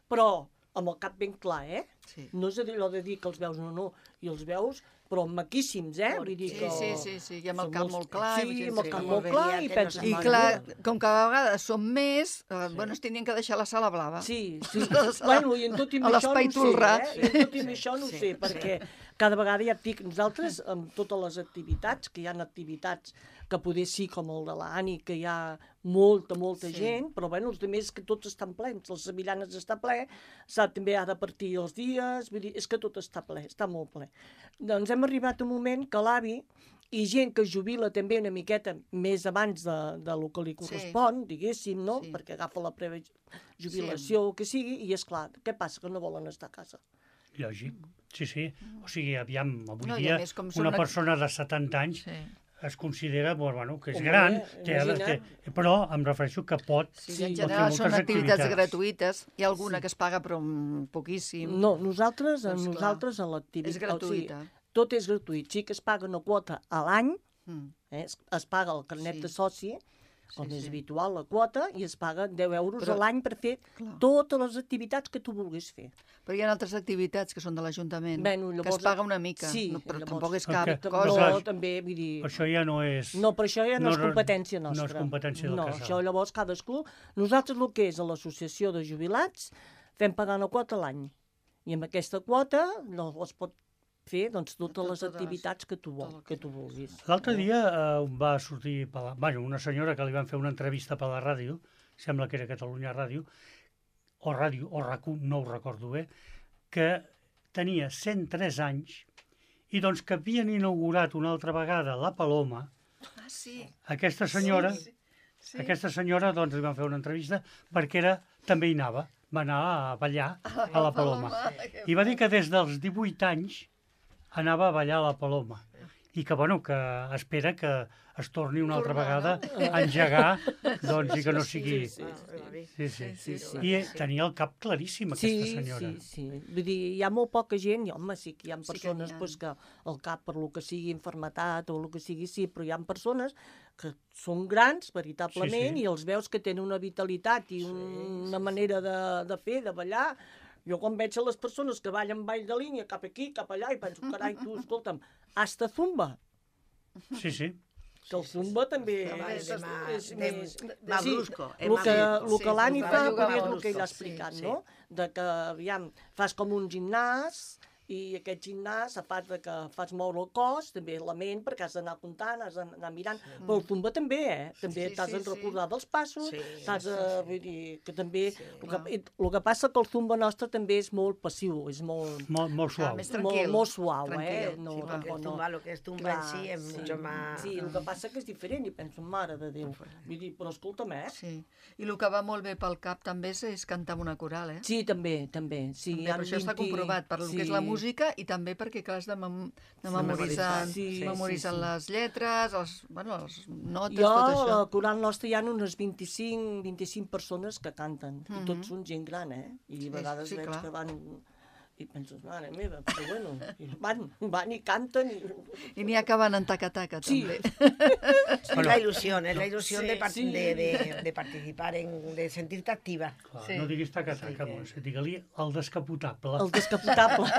però amb el cap ben clar, eh? Sí. No és allò de dir que els veus, no, no, i els veus, però maquíssims, eh? Vull dir Sí, que... sí, sí, sí, i amb el són cap molts- molt clar, i Sí, gent amb el sí. cap Com molt veia clar, que i no penses... se I mare clar, meva. com que a vegades som més, eh, bueno, es tindrien que deixar la sala blava. Sí, sí. La sala- Bueno, i en tot i amb a això no l'espai ho sé, Tolrà. eh? I en tot i amb això no ho sé, perquè cada vegada ja et dic, nosaltres, amb totes les activitats, que hi ha activitats que poder sí, com el de l'Ani, que hi ha molta, molta Sí. gent, però bueno, els altres que tots estan plens, les Sevillanes està ple, s'ha també ha de partir els dies, vull dir, és que tot està ple, està molt ple. Doncs hem arribat a un moment que l'avi i gent que es jubila també una miqueta més abans de, de lo que li correspon, diguéssim, no? Sí. Perquè agafa la prejubilació o que sigui, i és clar, què passa? Que no volen estar a casa. Lògic. Sí, sí. O sigui, aviam, avui No, i a dia més, com són una una- persona de setanta anys Sí. es considera, bueno, que és Home, gran, té, imagina't. té, però em refereixo que pot... Sí, Sí, en pot fer general són moltes activitats activitats. gratuïtes. Hi ha alguna que es paga, però mm, poquíssim. No, nosaltres, Doncs clar, nosaltres a l'activitat... és gratuïta. O sigui, tot és gratuït. Sí que es paga una quota a l'any, Mm. eh? es, es paga el carnet Sí. de soci, com Sí, és sí. habitual la quota, i es paga deu euros Però- a l'any per fer Clar. totes les activitats que tu vulguis fer. Però hi ha altres activitats que són de l'Ajuntament, Bueno, que llavors- es paga una mica, Sí, no, però llavors- tampoc és Ok. cap Però cosa. No, clar, també, vull dir... Per això ja no és... No, però això ja no, no és re- competència no és nostra. competència del No, casal. això llavors cadascú... Nosaltres el que és a l'associació de jubilats fem pagar una quota a l'any. I amb aquesta quota no, es pot fer doncs, totes Tot- les totes les- activitats que tu, vol, tot el que que- tu vulguis. L'altre dia eh, va sortir per la... bueno, una senyora que li van fer una entrevista per la ràdio, sembla que era Catalunya Ràdio, o ràdio, o RAC u, no ho recordo bé, que tenia cent tres anys i doncs que havien inaugurat una altra vegada la Paloma. Ah, sí. Aquesta senyora, Sí, sí. aquesta senyora doncs li van fer una entrevista perquè era, també hi anava, va anar a ballar a la Paloma. I va dir que des dels divuit anys anava a ballar a la Paloma i que, bueno, que espera que es torni una altra vegada a engegar, doncs, i que no sigui... Sí, sí, Sí, sí. sí, sí. I tenia el cap claríssim, aquesta Sí, senyora. sí, sí. Vull dir, hi ha molt poca gent, i home, sí que hi ha Sí que persones n'hi ha. pues, que el cap per lo que sigui infermetat o el que sigui, sí, però hi ha persones que són grans, veritablement, Sí, sí. i els veus que tenen una vitalitat i un, una manera de, de fer, de ballar. Jo quan veig a les persones que ballen ball de línia cap aquí, cap allà, i penso, carai, tu, escolta'm, hasta zumba, Sí, sí. que el zumba també Zumba és, és más- és, de- més... más sí, brusco, és el más que, brusco. el que Sí, l'Ani zumba fa, juga però és más el que ell ha brusco, explicat, sí, no? De que, aviam, fas com un gimnàs, i aquest gimnàs, a part de que fas moure el cos, també la ment, perquè has d'anar comptant, has d'anar mirant, sí. Però el tumba també, eh? També Sí, t'has sí, de sí. recordar dels passos, Sí, t'has de... sí, sí. Vull dir, que també... Sí, el, que, el que passa que el tumba nostre també és molt passiu, és molt... Molt, molt suau. més molt, tranquil. molt suau, Tranquil, eh? No, sí, Porque tampoc el no. tumba, lo que es tumba Clar, en sí es sí. mucho más... Sí, el que passa que és diferent, i penso, mare de Déu. Vull dir, però escolta'm, eh? Sí. I el que va molt bé pel cap també és, és cantar amb una coral, eh? Sí, també, també. Sí, També, hi ha però això està vint- comprovat per el que és la música i també perquè, clar, has de, mem de memoritzant, Sí, sí, memoritzant sí, sí. les lletres, els, bueno, les notes, Jo, tot a això. la coral nostra hi ha unes vint-i-cinc, vint-i-cinc persones que canten, i Mhm. tots són gent gran, eh? I a vegades sí, veig clar. que van... I penses, mare meva, però bueno, i van, van i canten. I... I n'hi ha que van en taca-taca, Sí. també. Es Bueno, la ilusión, es la ilusión sí, de, par- sí. de, de, de participar, en, de sentirte activa. Clar, Sí. no diguis taca-taca, Sí, que- Montse, digue-li el descapotable. El descapotable.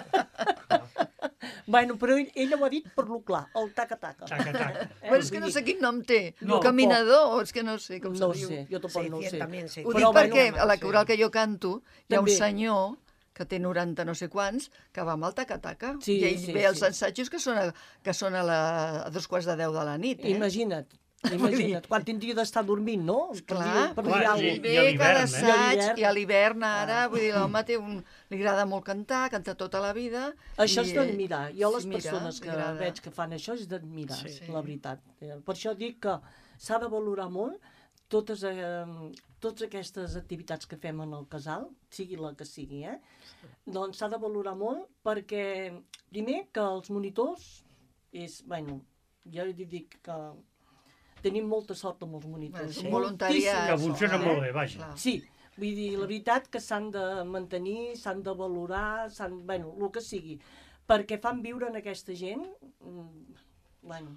Bueno, però ell, ella ho ha dit per lo clar, el taca-taca. Taca-taca. Però és que no sé quin nom té. No, el caminador, o és que no sé com No se ho diu. sé, jo tampoc no ho Se sé. también se Ho Però dic bueno, perquè home, a la sí. coral que jo canto hi ha un També. senyor que té noranta no sé quants, que va amb el taca-taca. Sí, I ell sí, ve als sí. assajos que són a, que són a, la, a dos quarts de deu de la nit. Eh? Imagina't, imagina't, quan tindria d'estar dormint, no? Per Clar, dir, per Clar, dir i- alguna I cosa. ve a l'hivern, cada eh? assaig, I a l'hivern. i a l'hivern ara, Ah. vull dir, l'home té un... li agrada molt cantar, canta tota la vida. Això i, és d'admirar. Jo les sí, mira, persones li que agrada. veig que fan això és d'admirar, Sí. la veritat. Eh, Per això dic que s'ha de valorar molt totes, eh, totes aquestes activitats que fem en el casal, sigui la que sigui, eh? Doncs s'ha de valorar molt perquè, primer, que els monitors és, bueno, jo li dic que tenim molta sort amb els monitors. Bueno, sí. moltíssima Voluntariat. Que sort, funciona eh? molt bé, vaja. Clar. Sí, vull dir, la veritat que s'han de mantenir, s'han de valorar, s'han, bueno, el que sigui, perquè fan viure en aquesta gent, mm, bueno,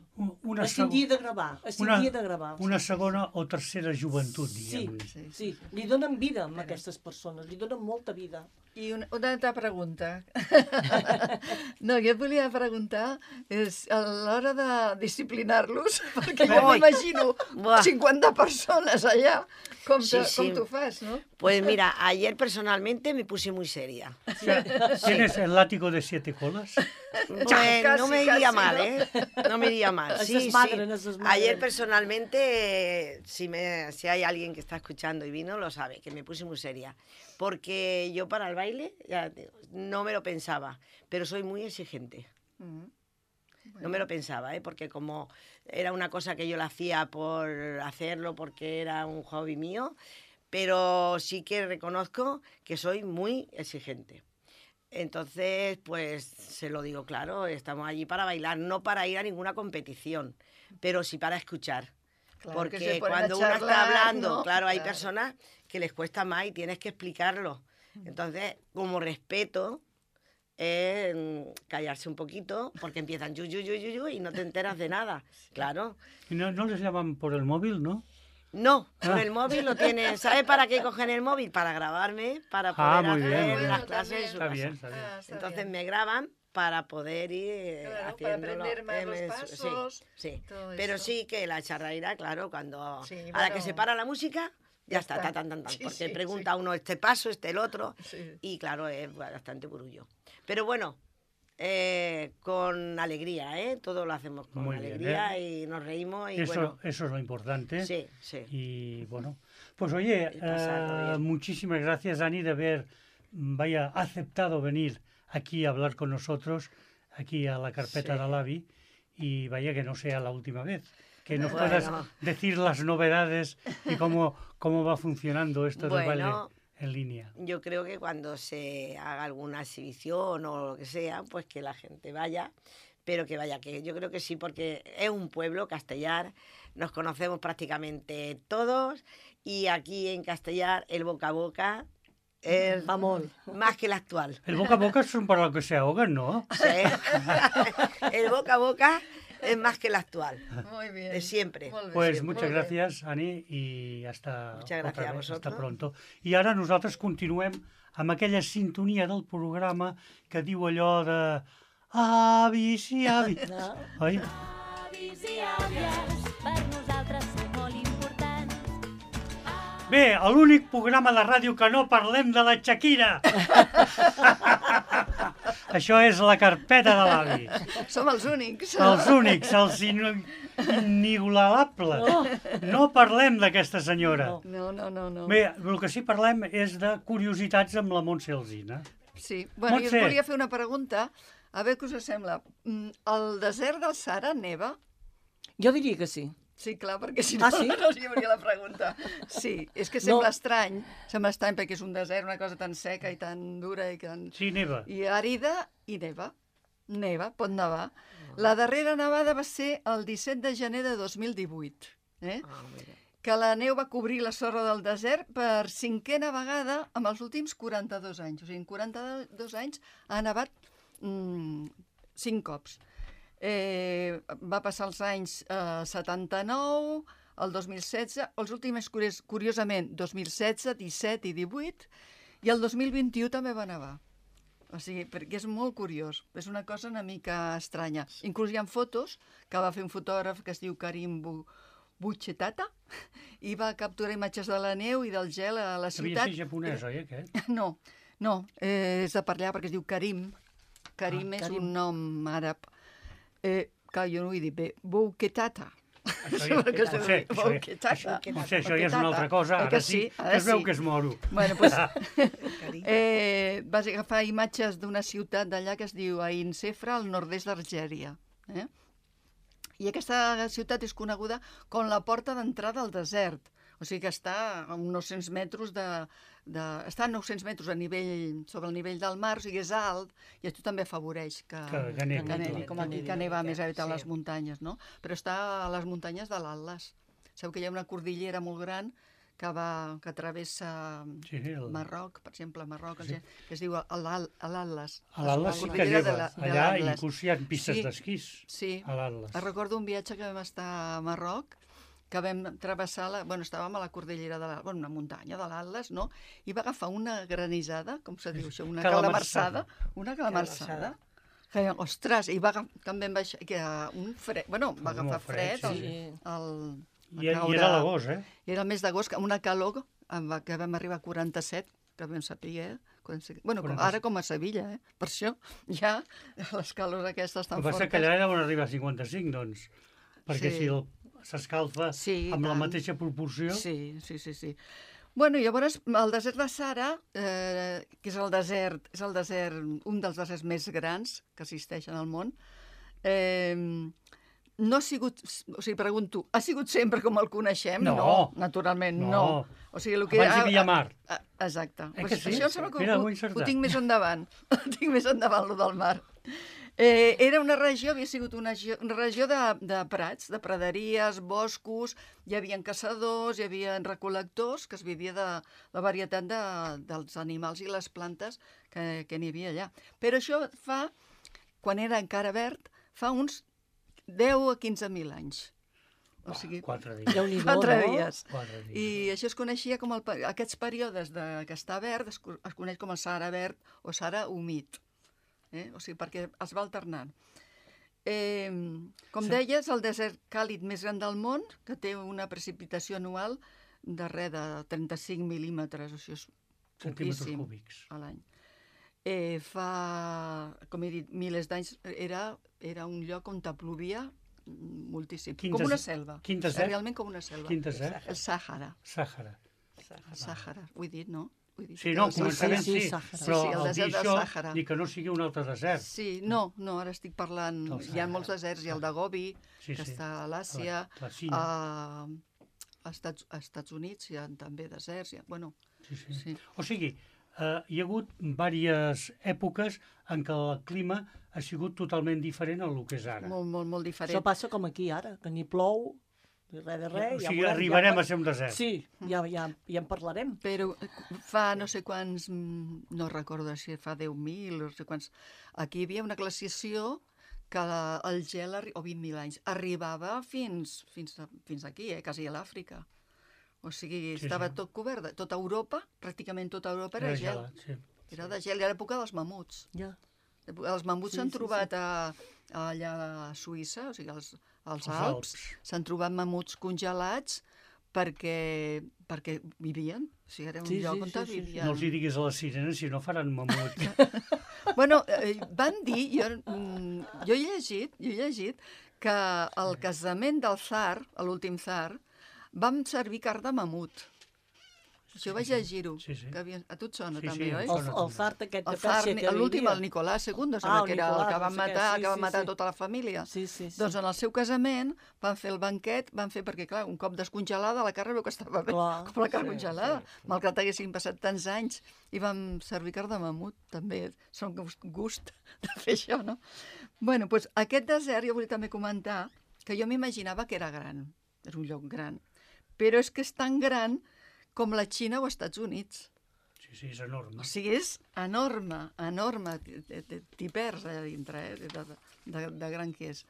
Una, es tindria de gravar, es una, tindria de gravar. una segona o tercera joventut, Sí, diguem-ne. Sí, sí, li donen vida a aquestes persones, li donen molta vida. I una, una altra pregunta. No, jo et volia preguntar, és a l'hora de disciplinar-los, perquè jo Ui. m'imagino Buah. cinquanta persones allà, com, Sí, te, sí. com t'ho fas, no? Pues mira, ayer personalmente me puse muy seria. ¿Tienes el látigo de siete colas? Pues Casi, no me iría casi, mal, ¿no? ¿eh? No me iría mal. Es Sí, sí. desmadren, es desmadren. Ayer personalmente, si, me, si hay alguien que está escuchando y vino, lo sabe, que me puse muy seria. Porque yo para el baile, ya te digo, no me lo pensaba, pero soy muy exigente. Mm. No me lo pensaba, ¿eh? Porque como era una cosa que yo la hacía por hacerlo, porque era un hobby mío, pero sí que reconozco que soy muy exigente. Entonces, pues se lo digo claro, estamos allí para bailar, no para ir a ninguna competición, pero sí para escuchar. Claro, que Porque se ponen a cuando uno está charlar, hablando, ¿no? claro, hay Claro. personas que les cuesta más y tienes que explicarlo. Entonces, como respeto, es mm, callarse un poquito, porque empiezan yu, yu, yu, yu, yu, y no te enteras de nada. Claro. ¿Y no, no les llaman por el móvil, no? No, con Ah. el móvil lo tienen. ¿Sabes para qué cogen el móvil? Para grabarme, para poder Ah, muy bien, hacer muy bien. las clases en su Está casa. bien, está bien. Ah, está Entonces bien. me graban para poder ir eh, Claro, para haciéndolo. aprender más eh, los me- pasos, Sí, sí. todo Pero eso. sí que la charraira, claro, cuando Sí, a la bueno. que se para la música, ya, Ya está, está. ta, tan, tan, tan, Sí, porque sí, pregunta sí. uno este paso, este el otro, Sí. y claro, es bastante burullo. Pero bueno, eh, con alegría, ¿eh? Todo lo hacemos con Muy bien, alegría y nos reímos y Eso, bueno, eso es lo importante. sí, sí. Y bueno, pues oye, Y pasarlo eh, bien. muchísimas gracias, Ani, de haber mm, vaya, aceptado venir aquí a hablar con nosotros, aquí a la carpeta Sí. de Alavi, y vaya que no sea la última vez. Que nos Bueno. puedas decir las novedades y cómo, cómo va funcionando esto del baile Bueno. en línea. Yo creo que cuando se haga alguna exhibición o lo que sea, pues que la gente vaya, pero que vaya, que yo creo que sí, porque es un pueblo, Castellar, nos conocemos prácticamente todos y aquí en Castellar el boca a boca es Vamos. más que el actual. El boca a boca son para los que se ahogan, ¿no? Sí. El boca a boca es más que el actual, Muy bien. de siempre. Molt bé, Pues sí, muchas molt bé. gracias, Ani, y hasta, Muchas gracias otra a vez, vosotros. hasta pronto. I ara nosaltres continuem amb aquella sintonia del programa que diu allò de avis i avis. No? Oi? Avis i àvies, per nosaltres són molt importants. Bé, l'únic programa de ràdio que no parlem de la Shakira. Això és la carpeta de l'avi. Som els únics. Els únics, els in- inigualables. No. No parlem d'aquesta senyora. No. No, no, no, no. Bé, el que sí parlem és de curiositats amb la Montse Alsina. Sí, bueno, jo Montse. us volia fer una pregunta, a veure què us sembla. Mm, El desert del Sahara neva? Jo diria que sí. Sí, clar, perquè si no, Ah, sí? no us hi hauria la pregunta. Sí, és que sembla No. estrany, sembla estrany perquè és un desert, una cosa tan seca i tan dura i tan... Sí, neva. I àrida i neva. Neva, pot nevar. La darrera nevada va ser el disset de gener de dos mil divuit, eh? que la neu va cobrir la sorra del desert per cinquena vegada en els últims quaranta-dos anys. O sigui, en quaranta-dos anys ha nevat mm, cinc cops. Eh, va passar els anys eh, setanta-nou, el dos mil setze, els últims, curios, curiosament, dos mil setze, disset i divuit, i el dos mil vint-i-u també va nevar. O sigui, perquè és molt curiós. És una cosa una mica estranya. Inclús hi ha fotos que va fer un fotògraf que es diu Karim Bu Buchetata i va capturar imatges de la neu i del gel a la Devia ciutat. ser japonès, oi, aquest? No, no, eh, és de per allà perquè es diu Karim. Karim Ah, és Karim. un nom àrab. Eh, que jo no ho he dit bé. Buchetata. Això, Sembla que es ja, diu Montse, això, Buchetata. això, Montse, això ja és una altra cosa. Eh Ara que sí, sí? Ara que es veu sí. que es moro. Bueno, pues, eh, vas agafar imatges d'una ciutat d'allà que es diu Ain Sefra, al nord-est d'Algèria. Eh? I aquesta ciutat és coneguda com la porta d'entrada al desert. O sigui que està a uns nou-cents metres de, de... Està a nou-cents metres a nivell, sobre el nivell del mar, o sigui, és alt, i això també afavoreix que, Que- que nevi, que, nevi, clar. com aquí, Que que nevi neva una més miqueta, a sí. les muntanyes, no? Però està a les muntanyes de l'Atlas. Sabeu que hi ha una cordillera molt gran que, va, que travessa Sí, el- Marroc, per exemple, Marroc, sí. que es diu l'Al- l'Atlas. A l'Atlas La sí que cordillera neva. de la- de Allà l'Atlas. inclús hi ha pistes Sí. d'esquís. Sí, A l'Atlas. recordo un viatge que vam estar a Marroc, que vam travessar, la, bueno, estàvem a la cordillera de la, bueno, una muntanya de l'Atlas, no? I va agafar una granissada, com se diu això, una Calamarsada. calamarsada, una calamarsada, que, ostres, i va agafar, també em va, que un fred, bueno, va Molt agafar fred, fred, sí, el, el, I, I era a l'agost, eh? era el mes d'agost, amb una calor amb la que vam arribar a quaranta-set, que vam saber, eh? Bueno, com, quaranta-set. ara com a Sevilla, eh? Per això ja les calors aquestes El tan que passa fortes. que allà deuen arribar a cinquanta-cinc, doncs, perquè Sí. si el- s'escalfa Sí, amb la tant. mateixa proporció... Sí, sí, sí, sí. Bueno, llavors, el desert de Sahara, eh, que és el desert, és el desert, un dels deserts més grans que existeixen al món, eh, no ha sigut, o sigui, pregunto, ha sigut sempre com el coneixem? No. naturalment, no. No. O sigui, el que Abans hi havia mar. Ah, ah, exacte. Eh Pues que sí? Això em sembla que Mira, ho, ho he ho, encertat. ho tinc més endavant. Ho tinc més endavant, lo del mar. Eh, era una regió, havia sigut una, geo- una regió de, de prats, de praderies, boscos, hi havia caçadors, hi havia recol·lectors, que es vivia de la varietat de, dels animals i les plantes que, que n'hi havia allà. Però això fa, quan era encara verd, fa uns deu a quinze mil anys. O sigui, Quatre dies. Déu-n'hi-do, quatre no? dies. Quatre dies. I això es coneixia com el, pe- aquests períodes de, que està verd es, co- es coneix com el Sahara verd o Sahara humit. Eh? O sigui, perquè es va alternant. Eh, com Sí. deies, el desert càlid més gran del món, que té una precipitació anual de res de trenta-cinc mil·límetres, o sigui, és Centímetres poquíssim cúbics. a l'any. Eh, fa, com he dit, milers d'anys, era, era un lloc on plovia moltíssim. Quin com des- una selva. quin desert? Realment com una selva. Quin desert? El Sàhara. Sàhara. El Sàhara, ho he dit, no? Ho he dit. Sí, no, El començament sí, sí, sí, Sàhara. però Sí, sí, el al dir desert del això, Sàhara. dir que no sigui un altre desert. Sí, no, no, ara estic parlant... Del Hi ha Sàhara. molts deserts, hi ha el de Gobi, Sí, que sí. està a l'Àsia, La, la Xina. a, a, Estats, a Estats Units hi ha també deserts, hi ha, bueno, Sí, sí. sí. O sigui, eh, hi ha hagut diverses èpoques en què el clima ha sigut totalment diferent al que és ara. molt, molt, molt Això diferent. passa com aquí ara, que ni plou, ni res de res. O sigui, veurem, arribarem ja, a ser un desert. Sí, ja, ja, ja en parlarem. Però fa no sé quants, mm, no recordo si fa deu mil o no sé quants, aquí hi havia una glaciació que la- el gel, arri- o vint mil anys, arribava fins, fins, a, fins aquí, eh, quasi a l'Àfrica. O sigui, Sí, estava sí. tot cobert. de- Tota Europa, pràcticament tota Europa era Era gel. gelat, sí. Era de gel, i a l'època dels mamuts. Ja. Els mamuts Sí, s'han sí, trobat a, allà a Suïssa, o sigui, als, als Els Alps, Alps. s'han trobat mamuts congelats perquè, perquè vivien. O sigui, era un Sí, lloc sí, on sí, sí, vivien. No els hi diguis a les sirenes, si no faran mamut. Bueno, eh, van dir, jo, mm, jo he llegit, jo he llegit que al casament del tsar, a l'últim tsar, vam servir carn de mamut. Això vaig llegir-ho. Sí, sí. Que havia... A tu et sona, Sí, també, sí, em oi? sona. El, el fart aquest de El tsar, Pèrsia que l'últim, vivia. el Nicolás segundo, Ah, sembla el que era el Nicolás, que no van sé què, matar, sí, que van sí, matar sí. tota la família. Sí, sí, sí. Doncs en el seu casament van fer el banquet, van fer, perquè clar, un cop descongelada la carn veu que estava bé, Clar, com la carn sí, congelada, sí. malgrat haguessin passat tants anys, i vam servir carn de mamut, també, són gust, gust de fer això, no? Bueno, doncs aquest desert jo volia també comentar que jo m'imaginava que era gran, és un lloc gran, però és que és tan gran com la Xina o els Estats Units. Sí, sí, és enorme. O sigui, és enorme, enorme, t'hi perds allà dintre, eh, de, de, de gran que és.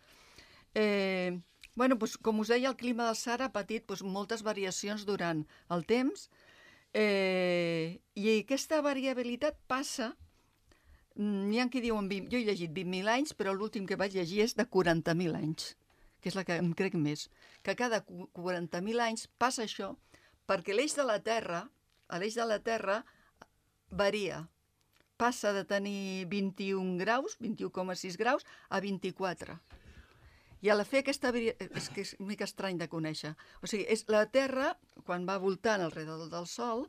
Eh, bueno, doncs, com us deia, el clima del Sahara ha patit doncs, moltes variacions durant el temps, eh, i aquesta variabilitat passa, n'hi ha qui diuen, vint, jo he llegit vint mil anys, però l'últim que vaig llegir és de quaranta mil anys, que és la que em crec més, que cada quaranta mil anys passa això, perquè l'eix de la Terra, a l'eix de la Terra, varia. Passa de tenir vint-i-un graus, vint-i-u coma sis graus, a vint-i-quatre. I a la fer aquesta... És que és una mica estrany de conèixer. O sigui, és la Terra, quan va voltant alrededor del Sol,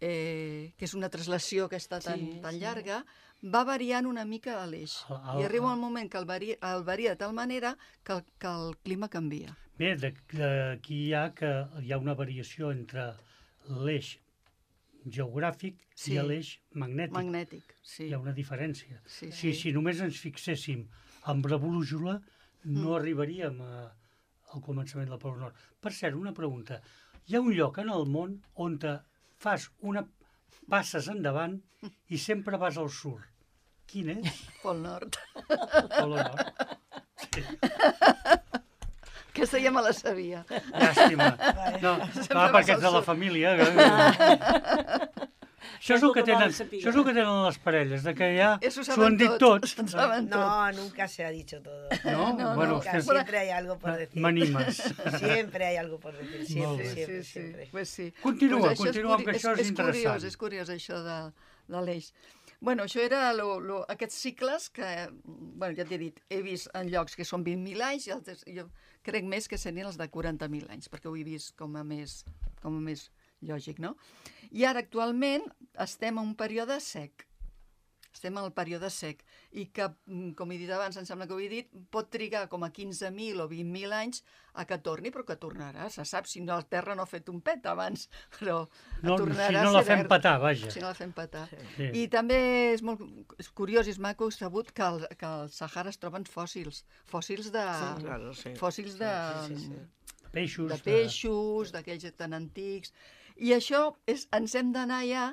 eh, que és una translació aquesta tan, Sí, tan sí. llarga, va variant una mica a l'eix. El- el- I arriba un moment que el varia, el varia de tal manera que, el- que el clima canvia. Bé, de- d'aquí hi ha que hi ha una variació entre l'eix geogràfic Sí. i l'eix magnètic. Magnètic, sí. Hi ha una diferència. Sí, Si, si només ens fixéssim amb la brújula, no Mm. arribaríem a, al començament del Pol Nord. Per cert, una pregunta. Hi ha un lloc en el món on te fas una... passes endavant i sempre vas al sud. Quin és? Pol Nord. El Pol Nord. Sí. Aquesta ja me la sabia. Llàstima. No, clar, perquè ets de la família. Això és el que tenen, això és el que tenen les parelles, de que ja Eso s'ho han dit tots. Ho saben tot. No, nunca se ha dicho todo. No? No, Bueno, no, Nunca, ustedes siempre hay algo por decir. m'animes. Siempre hay algo por decir, Molt siempre, bé. siempre, sí, siempre. sí. Pues sí. Continua, Pues això continua, curi- que això és és interessant. Curiós, és curiós, això de, de l'eix. Bueno, això era lo, lo, aquests cicles que, bueno, ja t'he dit, he vist en llocs que són vint mil anys i altres, jo crec més que serien els de quaranta mil anys, perquè ho he vist com a més, com a més lògic, no? I ara, actualment, estem en un període sec. Estem en el període sec i que, mm, com he dit abans, em sembla que ho he dit, pot trigar com a quinze mil o vint mil anys a que torni, però que tornarà. Se sap si no, la Terra no ha fet un pet abans, però No, tornarà si a no ser la fem verd. petar, vaja. Si no la fem petar. Sí. I també és molt és curiós i és maco sabut que al, que al Sahara es troben fòssils. Fòssils de... Sí, claro, sí. Fòssils de... Sí, sí, sí. Peixos. de peixos, d'aquells tan antics. I això és, ens hem d'anar ja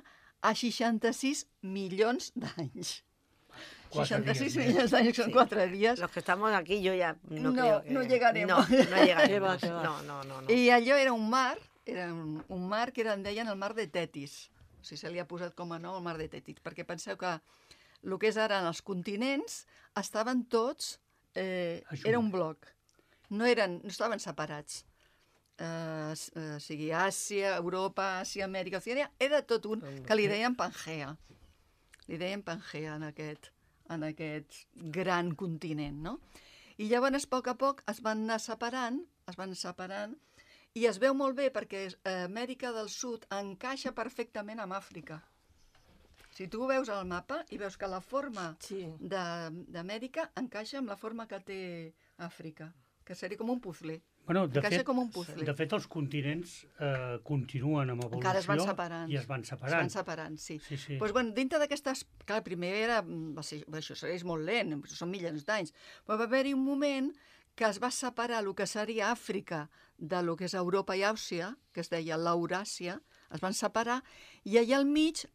a seixanta-sis milions d'anys. Quatre seixanta-sis dies més. milions d'anys, són Sí. quatre dies. Los que estamos aquí, yo ya no, No, creo que... no llegaremos. No, no llegaremos. Qué va, qué va. No, no, no. no. I allò era un mar, era un, un mar que era, en deien el mar de Tetis. O sigui, se li ha posat com a nom el mar de Tetis, perquè penseu que el que és ara en els continents estaven tots, eh, Ajunts. era un bloc, no, eren, no estaven separats. Eh, s- eh, o sigui, Àsia, Europa, Àsia, Amèrica, Oceania, era tot un, que li deien Pangea. Li deien Pangea en aquest, en aquest gran continent, no? I llavors, a poc a poc, es van anar separant, es van separant, i es veu molt bé perquè eh, Amèrica del Sud encaixa perfectament amb Àfrica. Si tu veus el mapa i veus que la forma Sí. de- d'Amèrica encaixa amb la forma que té Àfrica, que seria com un puzzle. Bueno, de Encaixa fet, com un puzzle. de fet, els continents eh, continuen amb evolució Encara es van separant. i es van Es separant. van separant, sí. Sí, sí. Doncs, bueno, dintre d'aquestes... Clar, primer era... Va ser, això és molt lent, són milions d'anys. Però va haver-hi un moment que es va separar el que seria Àfrica de lo que és Europa i Àsia, que es deia l'Euràsia, es van separar, i allà al mig,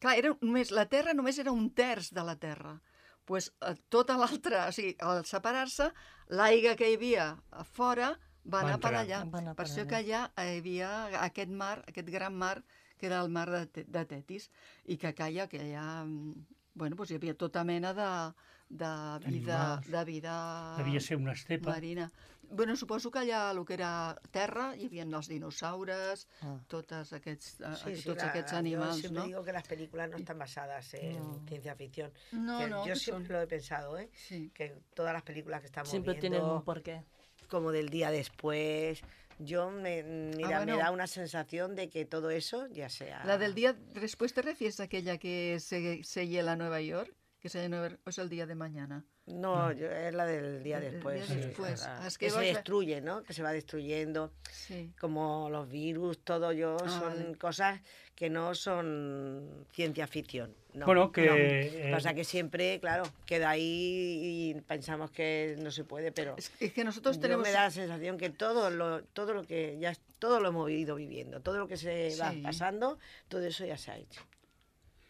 clar, era només, la Terra només era un terç de la Terra. Pues, eh, tota l'altra, o sigui, al separar-se, l'aigua que hi havia a fora va Va anar per entrar. allà. Va anar Per per això allà. que allà hi havia aquest mar, aquest gran mar, que era el mar de, Te- de Tetis, i que calla, que allà, mm, bueno, doncs hi havia tota mena de, de vida, Animals. de vida Devia ser una estepa. marina. Bueno, suposo que allà, el que era terra, hi havia els dinosaures, Ah. tots aquests, eh, Sí, sí, tots la- aquests yo animals, siempre no? digo que las películas no están basadas en No. ciencia ficción. No, Que no, yo que siempre són- lo he pensado, ¿eh? Sí. Que todas las películas que estamos Sempre viendo, tenen un per què. como del día después, yo me, mira, bueno. me da una sensación de que todo eso ya sea... La del día después, ¿te refieres a aquella que se, se hiela a Nueva York? Que se Nueva, o es el día de mañana. No, yo- es la del día El- el después. día sí, después. la- Es que que se vas a- destruye, ¿no? Que se va destruyendo. Sí. Como los virus, todo yo, Ah, son vale. cosas que no son ciencia ficción. No, Bueno, que, no. eh, Pasa que siempre, claro, queda ahí y pensamos que no se puede, pero Es, es que nosotros yo tenemos... me da la sensación que todo lo, todo lo que ya, todo lo hemos ido viviendo, todo lo que se va Sí. pasando, todo eso ya se ha hecho.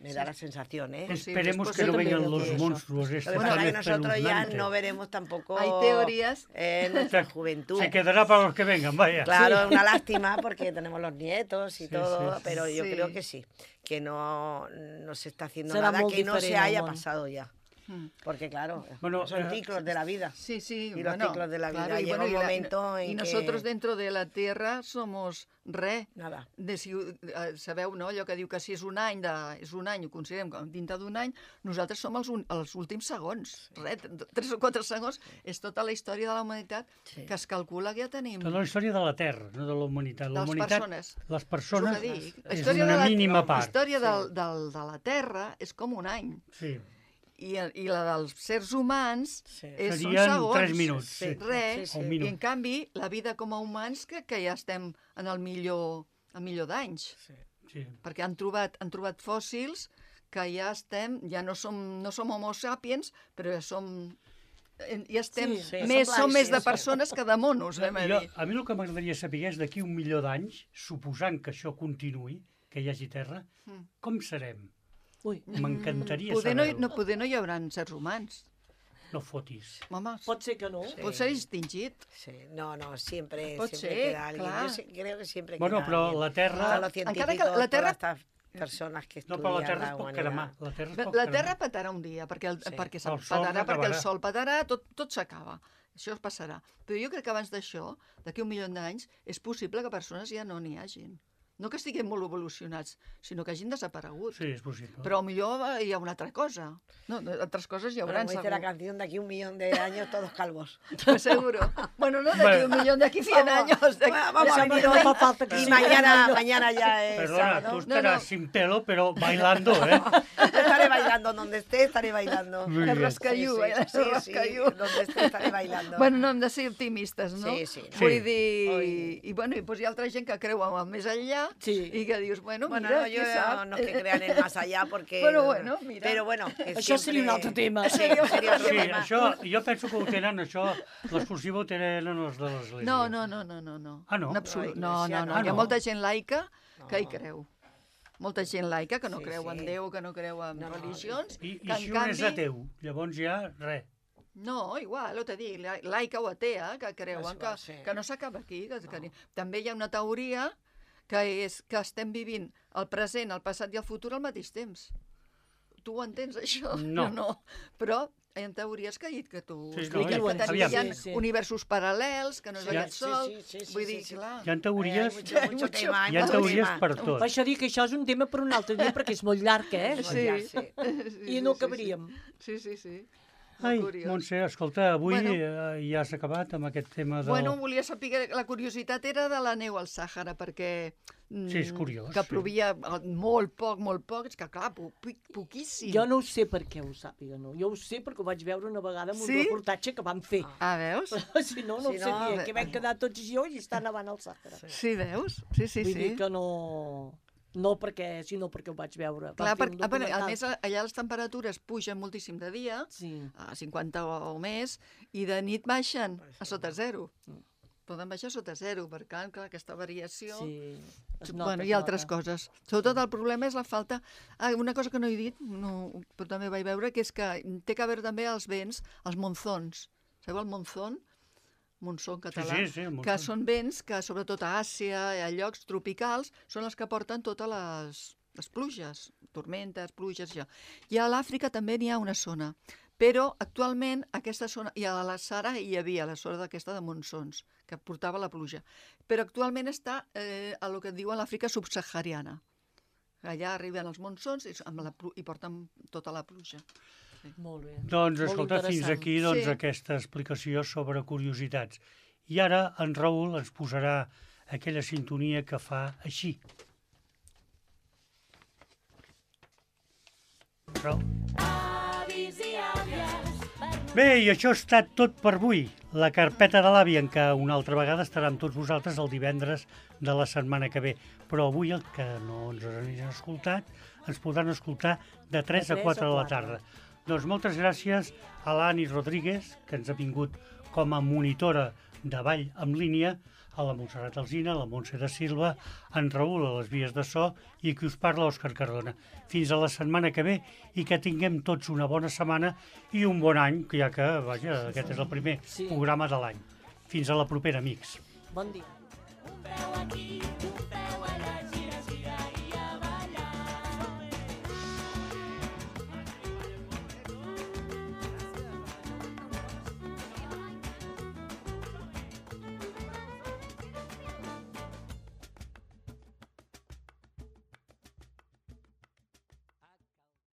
Me da la sensación, ¿eh? Es- Esperemos pues que yo no también vengan creo los que eso. monstruos Lo estos que pasa tan es que nosotros ya espeluznantes. no veremos tampoco Hay teorías. en nuestra juventud. Se quedará para los que vengan, vaya. Claro, es una lástima porque tenemos los nietos y Sí, todo, sí, sí. pero yo Sí. creo que sí, que no, no se está haciendo Será nada molt que no se diferent el haya món. pasado ya. Mm. Porque claro, Bueno, son eh, ciclos de la vida. Sí, sí. Y los bueno, ciclos de la vida. claro, y Llega bueno, un y la- momento en y que- nosotros dentro de la Tierra somos re. Nada. De si, eh, sabeu, no? Allò que diu que si és un any, de, és un any, ho considerem com dintre d'un any, nosaltres som els, un, els últims segons. Re, tres o quatre segons és tota la història de la humanitat Sí. que es calcula que ja tenim. Tota la història de la Terra, no de la humanitat. La De les humanitat, persones. les persones És el que dic. La és història una de la- mínima La part. història del, del, de la Terra és com un any. Sí. I, i la dels sers humans Sí. és, són Serien segons. tres minuts, sí. Res. Sí, sí. O un I minut. en canvi, la vida com a humans que, que ja estem en el millor, el millor d'anys. Sí. Sí. Perquè han trobat, han trobat fòssils que ja estem, ja no som, no som homo sapiens, però ja som... eh, Ja estem, Sí, sí, més, som som més de blancs, sí, sí. persones que de monos, anem a Jo, dir. a mi el que m'agradaria saber és d'aquí un milió d'anys, suposant que això continuï, que hi hagi Terra, Mm. com serem? Ui, M'encantaria Poder no, saber-ho. no, poder no hi haurà sers humans. No fotis. Home, pot ser que no. Sí. pot ser extingit. Sí. No, no, siempre, Pot siempre ser, queda alguien. clar. Yo sé- creo que siempre Bueno, queda però alguien. la Terra... Todos los Encara que científicos, la Terra- todas estas personas que No, estudian però la Terra es la pot humanidad. cremar. La Terra es La, pot la cremar. Terra petarà un dia, perquè, el, Sí. perquè El se'n sol petarà, perquè el s'acabarà. sol petarà, tot, tot s'acaba. Això es passarà. Però jo crec que abans d'això, d'aquí un milió d'anys, és possible que persones ja no n'hi hagin. No que estiguin molt evolucionats, sinó que hagin desaparegut. Sí, és possible. Però millor hi ha una altra cosa. No, altres coses hi Bueno, haurà, como dice segur. la canción, de aquí un millón de años todos calvos. Pues seguro. Bueno, no d'aquí Bueno. un millón, d'aquí cien años. d'aquí- Bueno, vamos a ya venir no hoy fa falta que y sigui mañana, un año. mañana ya es Perdona, sábado. tú estarás no. sin pelo, pero bailando, ¿eh? Yo estaré bailando donde esté, estaré bailando. Muy El bien. rascallú, Sí, eh? sí, El sí, rascallú. donde esté estaré bailando. Bueno, no hem de ser optimistes, no? Sí, sí, no. Vull Sí. dir... Oi. I, bueno, i doncs hi ha altra gent que creu en el més enllà Sí. i que dius, bueno, Bueno, mira, no, yo qui sap. no es que crean en más allá porque... Pero bueno, mira. Pero bueno, que Això seria un siempre- altre tema. Sí, seria un altre Sí, tema. això, jo penso que ho tenen, això, l'exclusiva ho tenen els de l'Església. No, no, no, no, no, no. Ah, no? En absolut. No, No, la no, no. Iglesia Hi ha no. molta gent laica que hi No. creu. Molta gent laica que no Sí, creu en sí. Déu, que no creu en No, no, religions, I, que i en si un és canvi... ateu, llavors ja, res. No, igual, ho t'he dit, la- laica o atea, que creuen És que, igual, sí. que no s'acaba aquí. Que, que... També hi ha una teoria que és que estem vivint el present, el passat i el futur al mateix temps. Tu ho entens, això? No. Jo no. Però hi ha teories que, que tu Sí, expliques no, que tenim, aviam. hi ha Sí, sí. universos paral·lels, que no és Sí, aquest sí, sol. sí, sí, sí, Vull sí, dir, sí. clar... Hi ha teories, Hay mucho, mucho mucho- tema, hay hi ha mucho teories tema. per tot. Per això dic que això és un tema per un altre dia, perquè és molt llarg, eh? Molt Sí. llarg, sí. Sí, I no sí, acabaríem. Sí, sí, sí. Ai, Molt curiós. Montse, escolta, avui Bueno. eh, ja has acabat amb aquest tema del... Bueno, volia saber, la curiositat era de la neu al Sàhara, perquè... mm, Sí, és curiós, Que sí. plovia eh, molt poc, molt poc, és que clar, po, po, poquíssim. Jo no ho sé per què ho sàpiga, no. Jo ho sé perquè ho vaig veure una vegada en un Sí? reportatge que vam fer. Ah, veus? Si no, no Si ho no, sabia, bé. que vam quedar tots jo i està nevant al Sàhara. Sí, veus? Sí, sí, Vull sí. dir que no... No perquè, sinó perquè ho vaig veure. Vam Clar, fer perquè, un a, veure, a documental. més, allà les temperatures pugen moltíssim de dia, Sí. a cinquanta o, o més, i de nit baixen a sota zero. Poden baixar a sota zero, perquè clar, clar, aquesta variació... Sí. Es Sí, nota, bueno, es i altres nota. coses. Sobretot el problema és la falta... Ah, una cosa que no he dit, no, però també vaig veure, que és que té que veure també els vents, els monzons. Sabeu el monzón? Monzó en català. sí, sí, el que monzón. són vents que, sobretot a Àsia i a llocs tropicals, són els que porten totes les, les pluges, tormentes, pluges, això. I a l'Àfrica també n'hi ha una zona, Però actualment aquesta zona, i a la Sara hi havia la zona d'aquesta de monsons, que portava la pluja. Però actualment està eh, a lo que et diuen l'Àfrica subsahariana. Allà arriben els monsons i, amb la, i porten tota la pluja. Molt bé. Doncs, Molt escolta, fins interessant. aquí doncs, Sí. aquesta explicació sobre curiositats. I ara en Raül ens posarà aquella sintonia que fa així. Raül. Avis i àvies, per Bé, i això ha estat tot per avui. La carpeta de l'àvia, en què una altra vegada estarà amb tots vosaltres el divendres de la setmana que ve. Però avui, el que no ens han escoltat, ens podran escoltar de tres a quatre de la tarda. Doncs moltes gràcies a l'Ani Rodríguez, que ens ha vingut com a monitora de ball en línia, a la Montserrat Alsina, a la Montse de Silva, en Raül a les vies de so i qui us parla, Òscar Cardona. Fins a la setmana que ve i que tinguem tots una bona setmana i un bon any, que ja que, vaja, aquest és el primer Sí. programa de l'any. Fins a la propera, amics. Bon dia. un preu aquí.